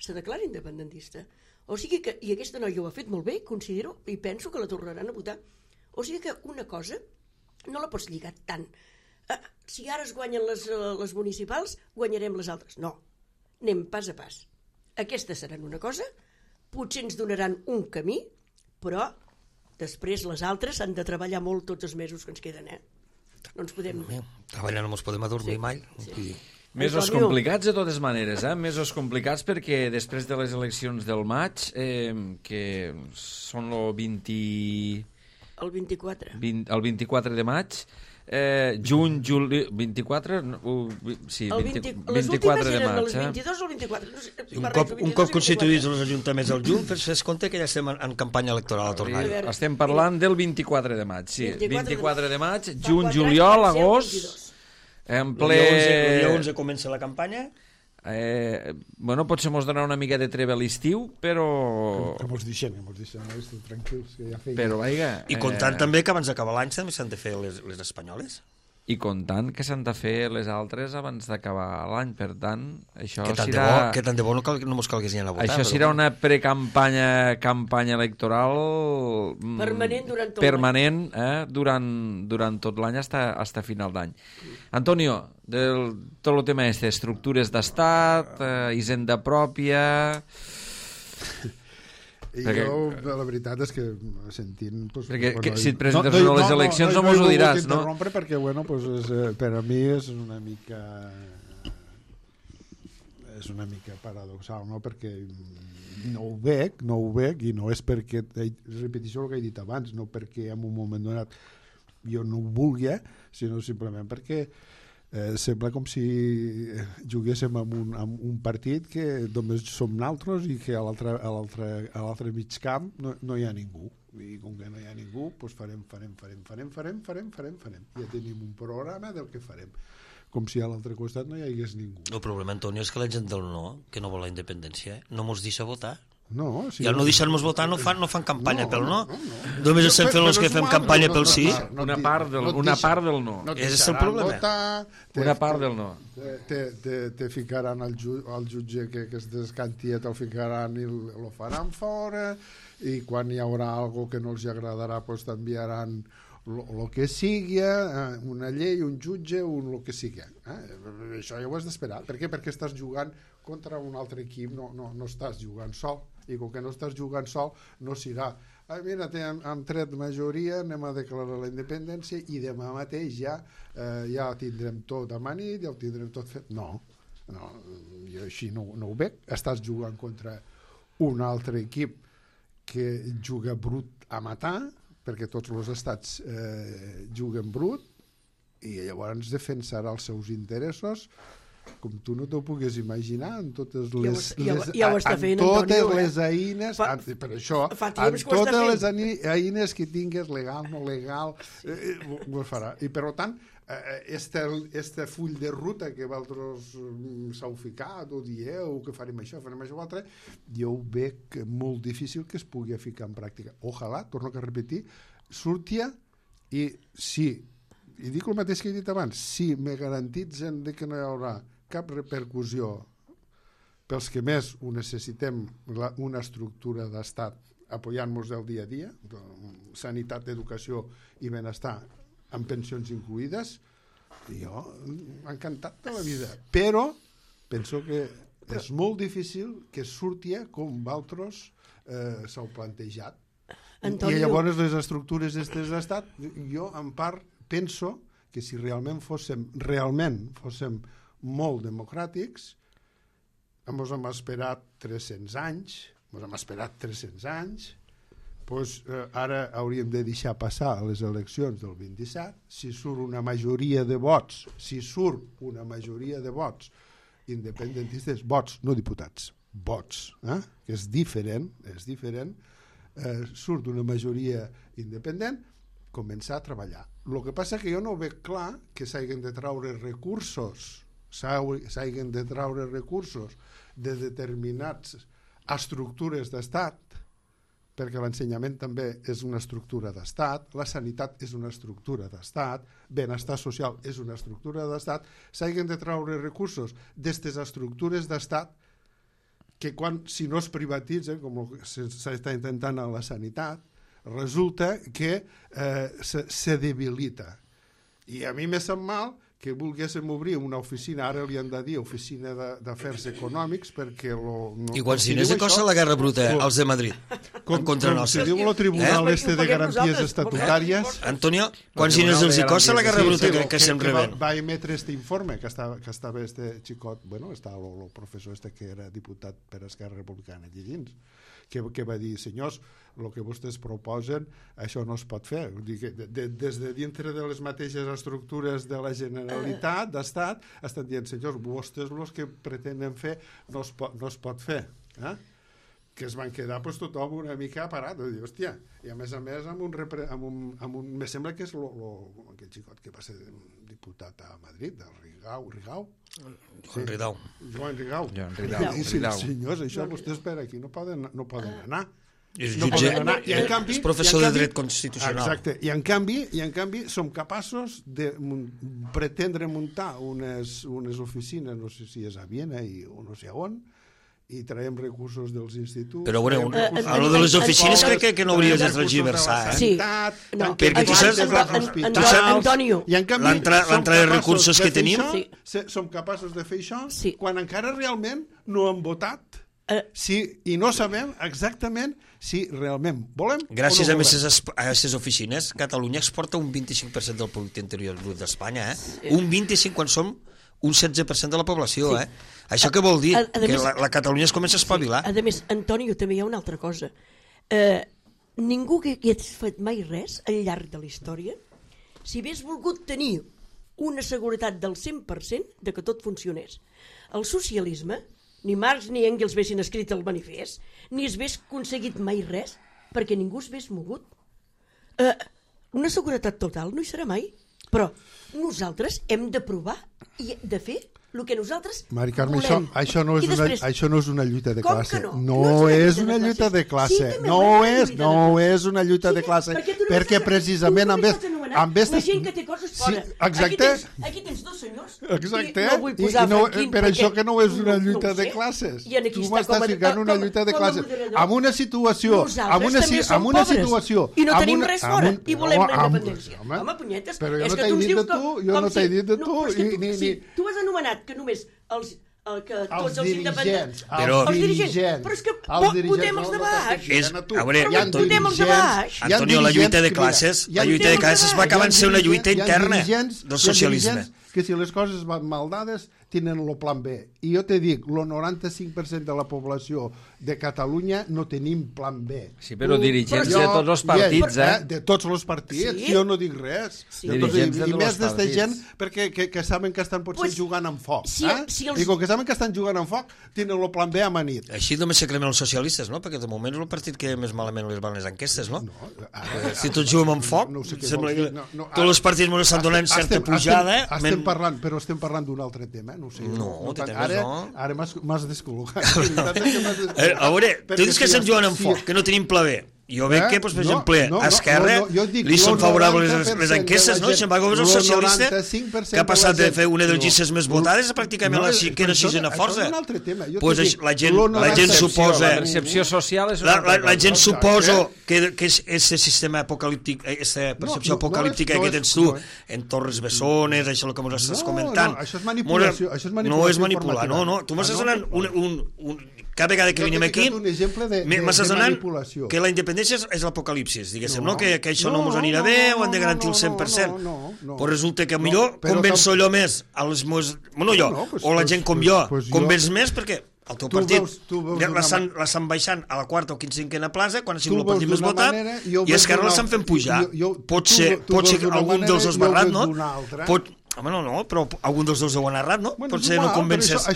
se declara independentista. O sigui que, i aquesta noia ho ha fet molt bé, considero, i penso que la tornaran a votar. O sigui que una cosa no la pots lligar tant. Si ara es guanyen les municipals, guanyarem les altres. No, anem pas a pas. Aquestes seran una cosa, potser ens donaran un camí, però després les altres han de treballar molt tots els mesos que ens queden, No ens podem... Treballar no ens podem adormir mai. Sí. Mesos complicats de totes maneres, mesos complicats perquè després de les eleccions del maig, que són el 24 de maig, juny, juli... 24? Sí, 24 de maig. Les 22 o el 24. Un cop constituïts els ajuntaments al juny, fes compte que ja estem en campanya electoral a tornar. Estem parlant del 24 de maig, sí. 24 de maig, juny, juliol, agost... En ple... El dia 11 comença la campanya. Bueno, potser mos donarà una mica de treva a l'estiu, però... Que mos deixem, tranquils, que ja feia. Però, vaiga... I comptant també que abans d'acabar l'any també s'han de fer les espanyoles. I comptant que s'han de fer les altres abans d'acabar l'any, per tant, això que serà... Que tant de bo no mos calgués anar a votar. Això serà una campanya electoral... Permanent durant tot permanent, durant tot l'any hasta final d'any. Antonio, tot el tema estructures d'estat, hisenda pròpia... Jo, la veritat és que sentint... Perquè si et presentes a les eleccions no mos ho diràs, no? Perquè, bueno, per a mi és una mica paradoxal, no? Perquè no ho veig, i no és perquè, repeteixo el que he dit abans, no perquè en un moment donat jo no ho vulgui, sinó simplement perquè sembla com si juguéssim amb un partit que només som naltros i que a l'altre mig camp no hi ha ningú. I com que no hi ha ningú, doncs farem. Ja tenim un programa del que farem. Com si a l'altre costat no hi hagués ningú. El problema, Antonio, és que la gent del no, que no vol la independència, no mos deixa votar. No, sí, i al no deixar-nos votar no fan campanya pel no. Només estem fent els que fem campanya pel sí. Una part del no. És el problema. Una part del no. Te ficaran al jutge que es descanti, te'l ficaran i lo faran fora, i quan hi haurà algo que no els agradarà pues t'enviaran el que sigui, una llei, un jutge, el que sigui. Això ja ho has d'esperar. Per què? Perquè estàs jugant contra un altre equip, no estàs jugant sol, i com que no estàs jugant sol no serà, mira, hem tret majoria, anem a declarar la independència i demà mateix ja ho tindrem tot amanit, ja ho tindrem tot fet. No, jo així no ho veig. Estàs jugant contra un altre equip que juga brut a matar, perquè tots els estats juguen brut, i llavors defensarà els seus interessos com tu no t'ho puguis imaginar, amb totes les les eines, per això, amb totes les eines que tingues, legal, no legal, ho farà. I per tant, este full de ruta que vosaltres s'heu ficat o dieu que farem això o altre, jo ho veig molt difícil que es pugui ficar en pràctica. Ojalà, torno a repetir, surtia i sí, i dic el mateix que he dit abans, si me garantitzen que no hi haurà cap repercussió pels que més ho necessitem, una estructura d'estat apoyant-nos del dia a dia, sanitat, educació i benestar amb pensions incluïdes, jo encantat de la vida, però penso que és molt difícil que surti com vosaltres s'heu plantejat. I llavors les estructures d'estat, jo en part penso que si realment fóssim molt democràtics, ens hem esperat 300 anys, doncs ara hauríem de deixar passar les eleccions del 27, si surt una majoria de vots independentistes, vots, no diputats, vots, que és diferent, surt una majoria independent, començar a treballar. El que passa que jo no veig clar que s'hagin de traure recursos de determinats estructures d'estat perquè l'ensenyament també és una estructura d'estat, la sanitat és una estructura d'estat, benestar social és una estructura d'estat, s'hagin de treure recursos d'aquestes estructures d'estat que si no es privatitzen, com s'està intentant a la sanitat, resulta que se debilita. I a mi me sap mal que volguéssim obrir una oficina, ara li han de dir oficina d'afers econòmics, perquè... Igual si no és cosa la guerra bruta, els de Madrid, en contra nostra. Com si diu el Tribunal de Garanties Estatutàries... Antonio, quan si no és cosa la guerra bruta que se'm rebent. Va emetre este informe, que estava este xicot, bueno, està el professor este que era diputat per Esquerra Republicana allí dins, que va dir, senyors, el que vostès proposen, això no es pot fer. Des de dintre de les mateixes estructures de la Generalitat, d'Estat, estan dient, senyors, vostès els que pretenen fer no es pot fer. Que es van quedar tothom una mica parat. Hòstia, i a més amb un... Me sembla que és aquell xicot que va ser diputat a Madrid, del Rigau. Joan Rigau. Senyors, això vostès per aquí no poden anar. És professor de dret constitucional. Exacte, i en canvi som capaços de pretendre muntar unes oficines, no sé si és a Viena o no sé on, i traiem recursos dels instituts... Però bueno, a lo de les oficines crec que no hauries de transgiversar, Sí. Perquè tu saps... Antonio. L'entrada de recursos que tenim... Som capaços de fer això quan encara realment no hem votat i no sabem exactament si realment volem gràcies a aquestes oficines, Catalunya exporta un 25% del producte interior brut d'Espanya, un 25% quan som un 16% de la població, Això què vol dir? Que la Catalunya es comença a espavilar. A més, Antonio, també hi ha una altra cosa. Ningú que hagués fet mai res al llarg de la història, si hagués volgut tenir una seguretat del 100% de que tot funcionés. El socialisme, ni Marx ni Engels haguessin escrit el manifest, ni es hagués aconseguit mai res, perquè ningú es hagués mogut. Una seguretat total no hi serà mai, però nosaltres hem de provar i de fer el que nosaltres Mari Carme, volem. això no és una lluita de classe. No és una lluita de classe. No és una lluita de classe. Perquè precisament amb la gent que té coses fora. Exacte. Aquí tens dos senyors. Exacte. Per això que no és una lluita de classes. Tu m'estàs ficant una lluita de classes. Amb una situació... Amb una situació... I no tenim res fora. I volem la independència. Home, punyetes. Però jo no t'he dit de tu. Tu has anomenat que només tots els independents, els dirigents, però és que votem els de baix. Votem els de baix. Antonio, la lluita de classes va acabar en ser una lluita interna del socialisme. Que si les coses van mal dades tenen el plan B. I jo te dic, el 95% de la població de Catalunya no tenim plan B. Sí, però dirigents de tots els partits, De tots els partits, jo no dic res. I més d'esta gent que saben que estan potser jugant amb foc. Dic, que saben que estan jugant amb foc, tenen el plan B amanit. Així només se cremen els socialistes, no? Perquè de moment és el partit que més malament les van les enquestes, no? Si tots juguem amb foc, sembla que tots els partits ens estan donant certa pujada. Estem parlant d'un altre tema, no sé. Ara m'has descol·locat. A veure, tu dius que estan jugant amb foc, que no tenim pla B. Jo veig que, per exemple, a Esquerra li són favorables les enquestes, no? Se'n va governar el socialista, que ha passat de fer una de les llistes més votades a pràcticament la cinquena sisena força. Doncs la gent suposa... La percepció social és... La gent suposa que aquest sistema apocalíptic, aquesta percepció apocalíptica que tens tu en Torres Bessones, això que ens estàs comentant... Això és manipulació. No és manipular, no. Tu m'estàs donant cada vegada que venim aquí m'estàs donant que la independència és l'apocalipsis, diguéssim, no? Que això no ens anirà bé o han de garantir el 100%. Però resulta que millor convenço allò més a les meves... Bueno, jo, o la gent com jo, convenç més perquè el teu partit l'estan baixant a la quarta o cinquena plaça quan ha sigut el partit més votat i Esquerra l'estan fent pujar. Pot ser algun dels dos barrat, no? Home, no, però algun dels dos ho han errat, no? Potser no convences a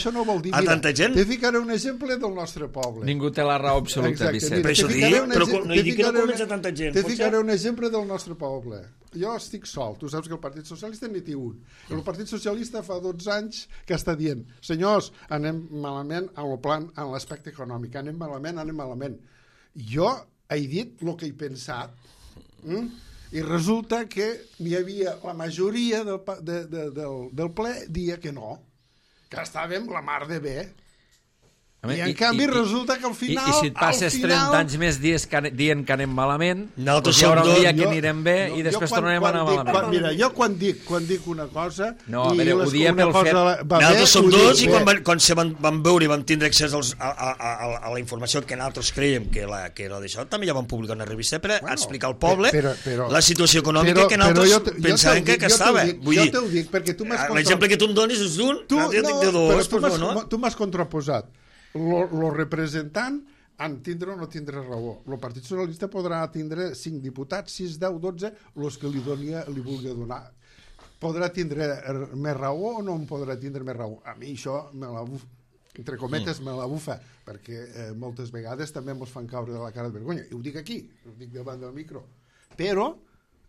tanta gent. Te ficaré un exemple del nostre poble. Ningú té la raó absoluta, Vicent. Per això dic, però no dic que no convenç a tanta gent. Te ficaré un exemple del nostre poble. Jo estic sol, tu saps que el Partit Socialista n'hi té un. El Partit Socialista fa 12 anys que està dient, senyors, anem malament en l'aspecte econòmic, anem malament. Jo he dit el que he pensat, i resulta que n'hi havia la majoria del ple dia que no, que estàvem la mar de bé. I en canvi resulta que al final... I si et passes 30 anys més dient que anem malament, doncs hi haurà un dia que anirem bé i després tornarem a anar malament. Mira, jo quan dic una cosa... No, a veure, ho diem pel fet... Nosaltres som dos i quan se van veure i vam tindre accés a la informació que nosaltres creiem que era d'això, també ja vam publicar una revista per explicar al poble la situació econòmica que nosaltres pensàvem que estava. Jo t'ho dic perquè tu m'has... L'exemple que tu em donis és d'un, jo dic de dos, però no. Tu m'has contraposat. Lo representant en tindre o no tindre raó. El Partit Socialista podrà tindre 5 diputats, 6, 10, 12, els que li vulgui donar. Podrà tindre més raó o no en podrà tindre més raó? A mi això, entre cometes, me la bufa, perquè moltes vegades també ens fan caure de la cara de vergonya. I ho dic aquí, ho dic davant del micro. Però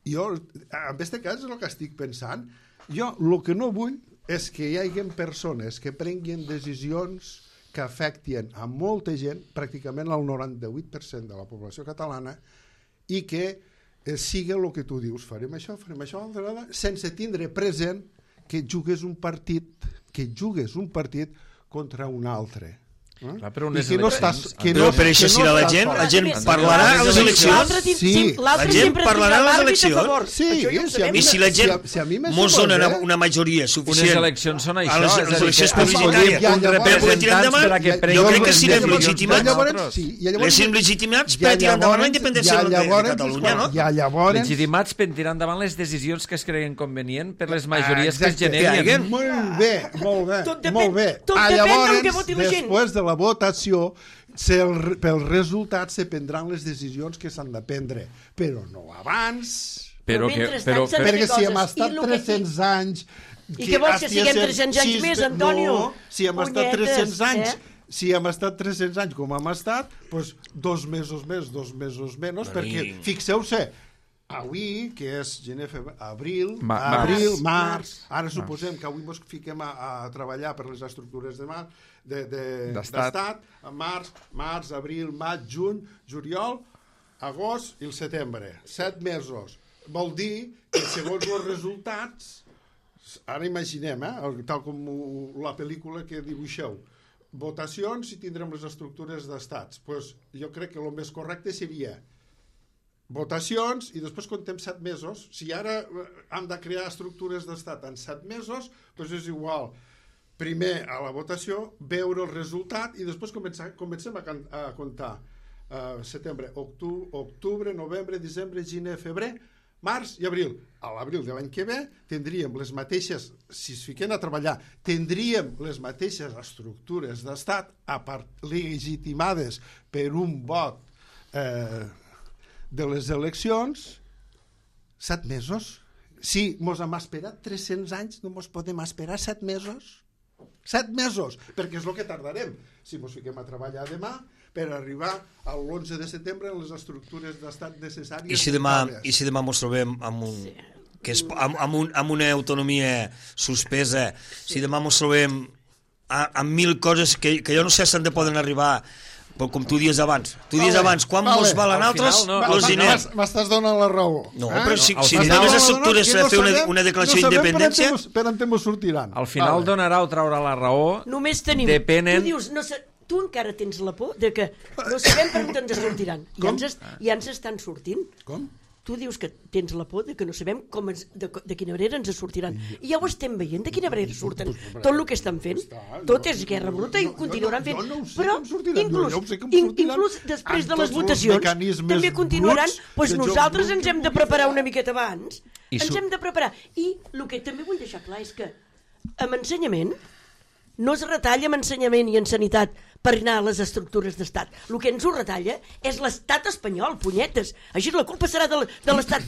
jo, en aquest cas, és el que estic pensant. Jo el que no vull és que hi hagi persones que prenguin decisions que afecten a molta gent, pràcticament al 98% de la població catalana, i que sigui el que tu dius, farem això, sense tindre present que jugues un partit contra un altre. Clar, però per això si la gent parlarà a les eleccions. La gent parlarà a les eleccions. I si la gent mos dona una majoria suficient unes eleccions són això, les eleccions publicitàries per poder tirar endavant, jo crec que siguem legitimats. Siguem legitimats per tirar endavant la independència de Catalunya. Legitimats per tirar endavant les decisions que es creguin convenient per les majories que es generen. Molt bé. Tot depèn del que voti la gent. Després de la votació, pel resultat se prendran les decisions que s'han de prendre, però no abans. Perquè si hem estat 300 anys... I què vols, que siguem 300 anys més, Antonio? No, si hem estat 300 anys... Si hem estat 300 anys com hem estat, doncs 2 mesos més, 2 mesos menys, perquè fixeu-se, avui, que és gener, abril, març, ara suposem que avui ens fiquem a treballar per les estructures d'estat, març, abril, maig, juny, juliol, agost i el setembre, 7 mesos. Vol dir que segons els resultats, ara imaginem, tal com la pel·lícula que dibuixeu, votacions i tindrem les estructures d'estats. Jo crec que el més correcte seria votacions i després contem 7 mesos. Si ara hem de crear estructures d'estat en 7 mesos, doncs és igual. Primer a la votació, veure el resultat i després comencem a comptar setembre, octubre, novembre, desembre, gener, febrer, març i abril. A l'abril de l'any que ve tindríem les mateixes, si es fiquen a treballar, tindríem les mateixes estructures d'estat legitimades per un vot de les eleccions. 7 mesos. Si mos hem esperat 300 anys, no mos podem esperar 7 mesos. 7 mesos, perquè és el que tardarem si mos fiquem a treballar demà per arribar a l'11 de setembre en les estructures d'estat necessàries. I si demà mos trobem amb una autonomia suspesa, si demà mos trobem amb 1.000 coses que jo no sé si han de poden arribar, però com tu dies abans. Quan mos valen altres, els diners. M'estàs donant la raó. No, però si tenen les estructures per fer una declaració d'independència... Per on te mos sortiran. Al final donarà o traurà la raó. Només tenim... Tu dius, tu encara tens la por de que no sabem per on ens sortiran. I ens estan sortint. Com? Tu dius que tens la por de que no sabem de quina manera ens sortiran. I ja ho estem veient, de quina manera surten. Tot el que estan fent, tot és guerra bruta i ho continuaran fent. Però inclús després de les votacions també continuaran. Doncs nosaltres ens hem de preparar una miqueta abans. Ens hem de preparar. I el que també vull deixar clar és que amb ensenyament no es retalla amb ensenyament i en sanitat per anar a les estructures d'estat. El que ens ho retalla és l'estat espanyol, punyetes. Així la culpa serà de l'estat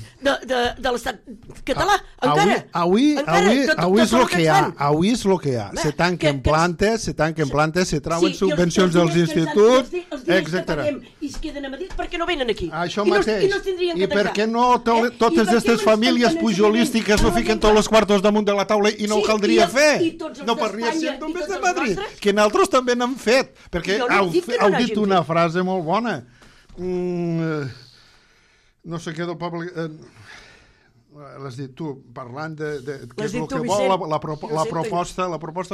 català, encara. Avui és el que hi ha. Avui és el que hi ha. Se tanquen plantes, se trauen subvencions dels instituts, etc. I es queden a Madrid perquè no venen aquí. Això mateix. I per què no totes aquestes famílies pujolístiques no fiquen tots els quartos damunt de la taula i no ho caldria fer? No podria ser només de Madrid, que nosaltres també n'hem fet. Perquè heu dit una frase molt bona. no sé què del poble... L'has dit tu, parlant de què és el que Vicent. vol la proposta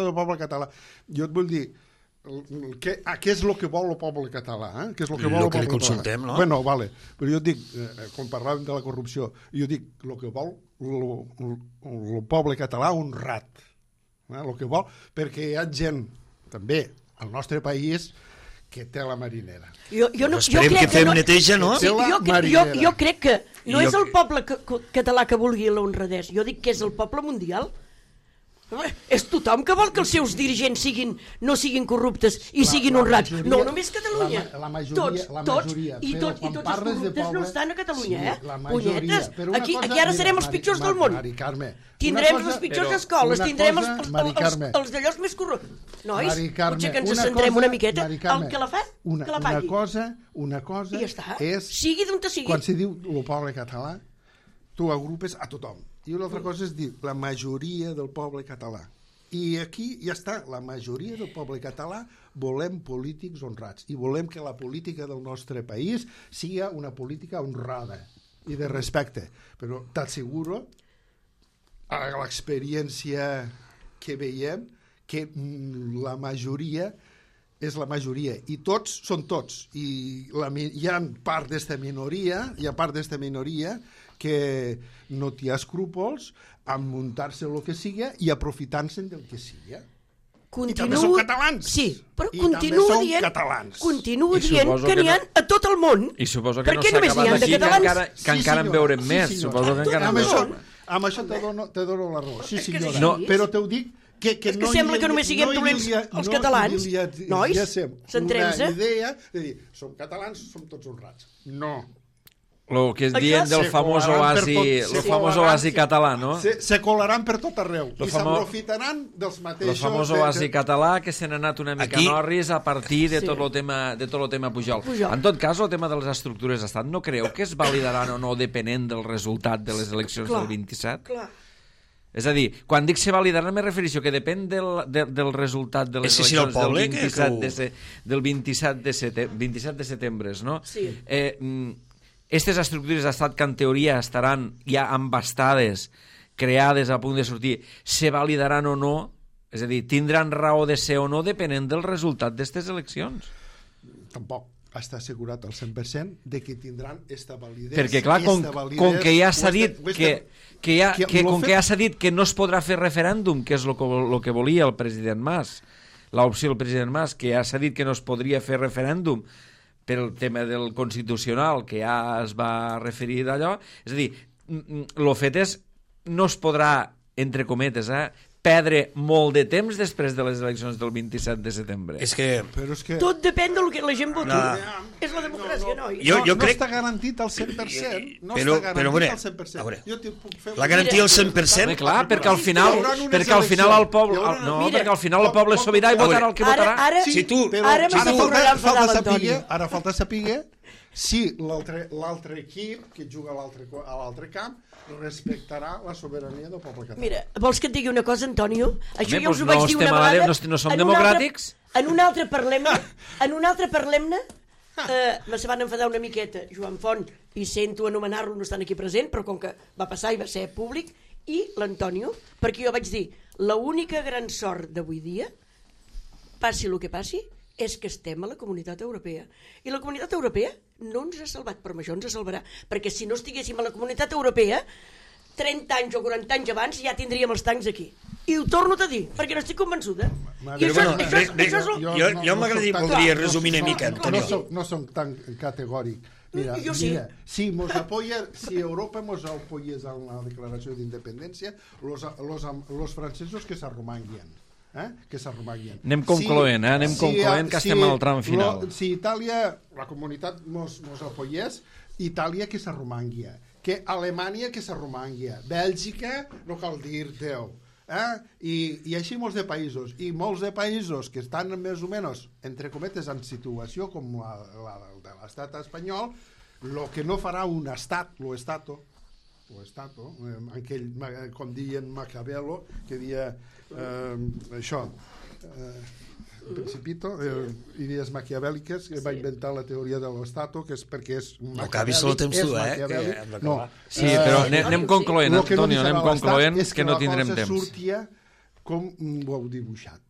del poble català. Jo et vull dir, què és el que vol el poble català? Què és el que vol el que li poble consultem, català? no? Bueno, vale. Però jo et dic, quan parlàvem de la corrupció, jo dic, el que vol el poble català honrat. El que vol, perquè hi ha gent, també, al nostre país, que té la marinera. Esperem que fem neteja, no? Sí, jo crec que no és el poble català que vulgui la honradesa, jo dic que és el poble mundial. És tothom que vol que els seus dirigents no siguin corruptes i siguin honrats. No només Catalunya. Tots. I tots els corruptes no estan a Catalunya, punyetes. Aquí ara serem els pitjors del món. Tindrem les pitjors escoles, tindrem els d'allòs més corruptes. Nois, potser que ens centrem una miqueta. El que la fa, que la pagui. Una cosa és... Sigui d'on te sigui. Quan se diu el poble català, tu agrupes a tothom. I una altra cosa és dir la majoria del poble català. I aquí ja està, la majoria del poble català volem polítics honrats i volem que la política del nostre país sigui una política honrada i de respecte. Però t'asseguro, a l'experiència que veiem, que la majoria és la majoria, i tots són tots. I hi ha part d'esta minoria, que no té escrúpols a muntar-se el que siga i aprofitant-se'n del que siga. I també són catalans. Sí, però continua dient que n'hi ha a tot el món. I suposo que no s'ha acabat aquí, que encara en veurem més. Suposo que encara en veurem. Amb això te dono la raó. Sí, senyora. Però te ho dic que és que sembla que només siguem dolents els catalans. Nois, centrem-se. Una idea de dir, som catalans, som tots honrats. No. El que es dient del famós oasi català, no? Se colaran per tot arreu i s'aprofitaran dels mateixos... El famós oasi català que se n'ha anat una mica norris a partir de tot el tema Pujol. En tot cas, el tema de les estructures d'estat, no creu que es validaran o no depenent del resultat de les eleccions del 27? Clar. És a dir, quan dic se validaran me refereixo que depèn del resultat de les eleccions del 27 de setembre, no? Sí. Aquestes estructures d'estat que en teoria estaran ja embastades, creades a punt de sortir, se validaran o no? És a dir, tindran raó de ser o no depenent del resultat d'aquestes eleccions? Tampoc està assegurat al 100% de que tindran esta validesa. Perquè clar, com que ja s'ha dit que ja s'ha dit que no es podrà fer referèndum, que és el que volia el president Mas, l'opció del president Mas, que ja s'ha dit que no es podria fer referèndum per el tema del constitucional, que ja es va referir d'allò, és a dir, el fet és, no es podrà, entre cometes, perdre molt de temps després de les eleccions del 27 de setembre. És que... Tot depèn del que la gent voti. És la democràcia, noi. Jo crec... No està garantit al 100%. No està garantit al 100%. Jo t'hi puc fer... La garantia al 100%? Clar, perquè al final el poble... No, perquè al final el poble és sobirà i votarà el que votarà. Ara falta saber si l'altre equip que juga a l'altre camp respectarà la sobirania del poble català. Mira, vols que et digui una cosa, Antonio? Això ja us ho vaig dir una vegada. No som democràtics? En un altre parlem-ne, se van enfadar una miqueta Joan Font, i sento anomenar-lo, no estan aquí present, però com que va passar i va ser públic, i l'Antonio, perquè jo vaig dir, l'única gran sort d'avui dia, passi el que passi, és que estem a la Comunitat Europea. I la Comunitat Europea no ens ha salvat, però això ens salvarà. Perquè si no estiguéssim a la Comunitat Europea, 30 anys o 40 anys abans ja tindríem els tancs aquí. I ho torno a dir, perquè no estic convençuda. Jo m'agradaria resumir una mica, Antonio. No som tan categòric. Mira, si Europa ens apoyés a la declaració d'independència, los francesos que s'arromanguien. Que s'arromanguien. Anem concloent, que estem al tram final. Si Itàlia, la comunitat mos apoyés, Itàlia que s'arromanguia, que Alemanya que s'arromanguia, Bèlgica no cal dir-te-ho, i així molts de països, i molts de països que estan més o menys, entre cometes, en situació com la de l'estat espanyol, el que no farà un estat, aquell, com deien Maquiavelo, que deia això, Principito, idees maquiavèliques, que va inventar la teoria de l'estato, que és perquè és no acabis el temps tu, no. Sí, però anem concloent, Antonio, anem concloent, que no tindrem temps. És que la cosa sortia com ho heu dibuixat.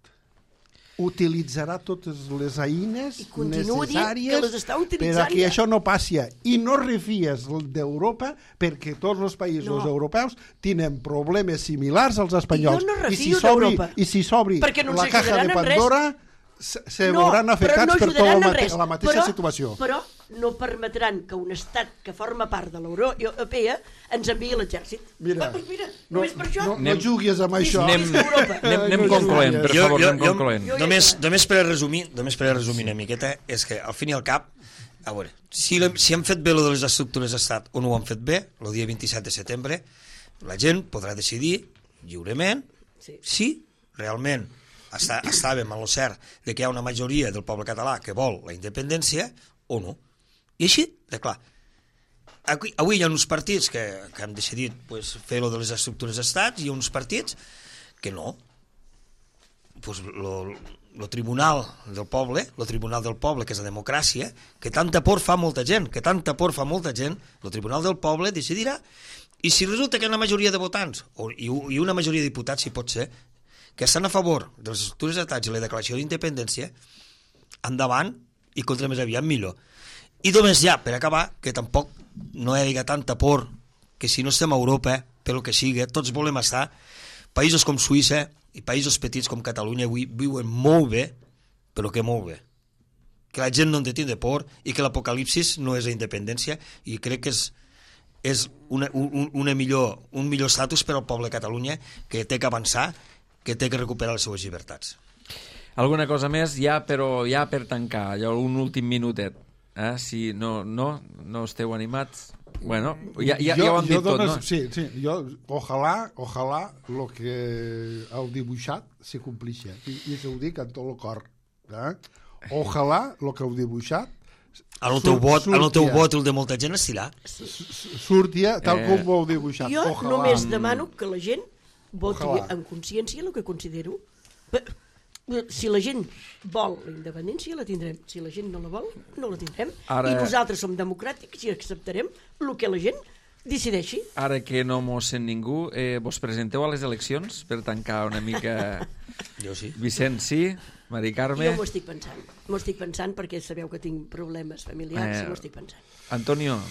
Utilitzarà totes les eines necessàries perquè això no passi. I no refies d'Europa perquè tots els països europeus tenen problemes similars als espanyols. I si s'obri la caja de Pandora se veuran afectats per tota la mateixa situació. Però no permetran que un estat que forma part de la Unió Europea ens enviï l'exèrcit. Mira, només per això... No juguis amb això. Anem concloent, per favor, anem concloent. Només per resumir una miqueta, és que al fin i al cap, a veure, si han fet bé lo de les estructures d'estat o no ho han fet bé, el dia 27 de setembre, la gent podrà decidir lliurement si realment estàvem en el cert de que hi ha una majoria del poble català que vol la independència o no. I així, de clar. Avui hi ha uns partits que han decidit fer-ho de les estructures d'estat i hi ha uns partits que no. El tribunal del poble, que és la democràcia, que tanta por fa molta gent, el tribunal del poble decidirà, i si resulta que hi ha una majoria de votants, i una majoria de diputats, si pot ser, que estan a favor de les estructures d'estat i la declaració d'independència, endavant i contra més aviat millor. I només ja, per acabar, que tampoc no hi ha tanta por que si no estem a Europa, pel que sigui, tots volem estar. Països com Suïssa i països petits com Catalunya avui viuen molt bé, però que molt bé. Que la gent no en té de por i que l'apocalipsis no és la independència, i crec que és un millor estatus per al poble de Catalunya, que té que avançar, que té que recuperar les seves llibertats. Alguna cosa més, ja per tancar, un últim minutet. Si no esteu animats... Bueno, ja ho han dit tot, no? Sí, ojalà el que heu dibuixat se complixi. I ho dic amb tot el cor. Ojalà el que heu dibuixat en el teu vot el de molta gent estirà. Sortia tal com ho heu dibuixat. Jo només demano que la gent voti amb consciència el que considero. Si la gent vol la independència, la tindrem. Si la gent no la vol, no la tindrem. I nosaltres som democràtics i acceptarem el que la gent decideixi. Ara que no mos sent ningú, vos presenteu a les eleccions per tancar una mica... Jo sí. Vicent, sí? Mari Carme? Jo m'ho estic pensant perquè sabeu que tinc problemes familiars i m'ho estic pensant. Antonio,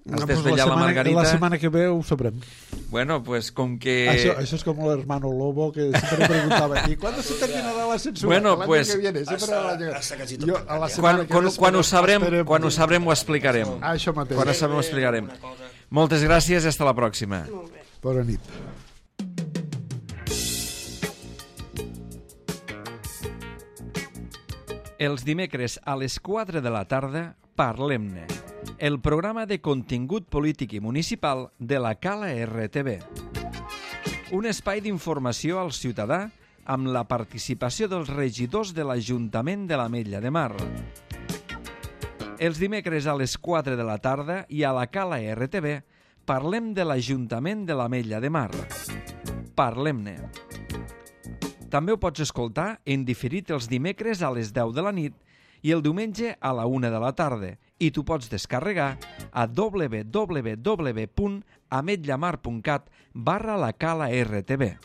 has desvetllat la Margarita? La setmana que ve ho sabrem. Bueno, pues com que... Això és com l'hermano Lobo, que sempre preguntava, ¿y cuándo se terminará la censura? Bueno, pues... Quan ho sabrem ho explicarem. Això mateix. Quan ho sabrem ho explicarem. Moltes gràcies i hasta la pròxima. Bona nit. Els dimecres a les 4 de la tarda, Parlem-ne, el programa de contingut polític i municipal de la Cala RTV. Un espai d'informació al ciutadà amb la participació dels regidors de l'Ajuntament de l'Ametlla de Mar. Els dimecres a les 4 de la tarda i a la Cala RTV parlem de l'Ajuntament de l'Ametlla de Mar. Parlem-ne. També ho pots escoltar en diferit els dimecres a les 10 de la nit i el diumenge a la 1 de la tarda, i tu pots descarregar a www.ametllamar.cat/la Cala RTV.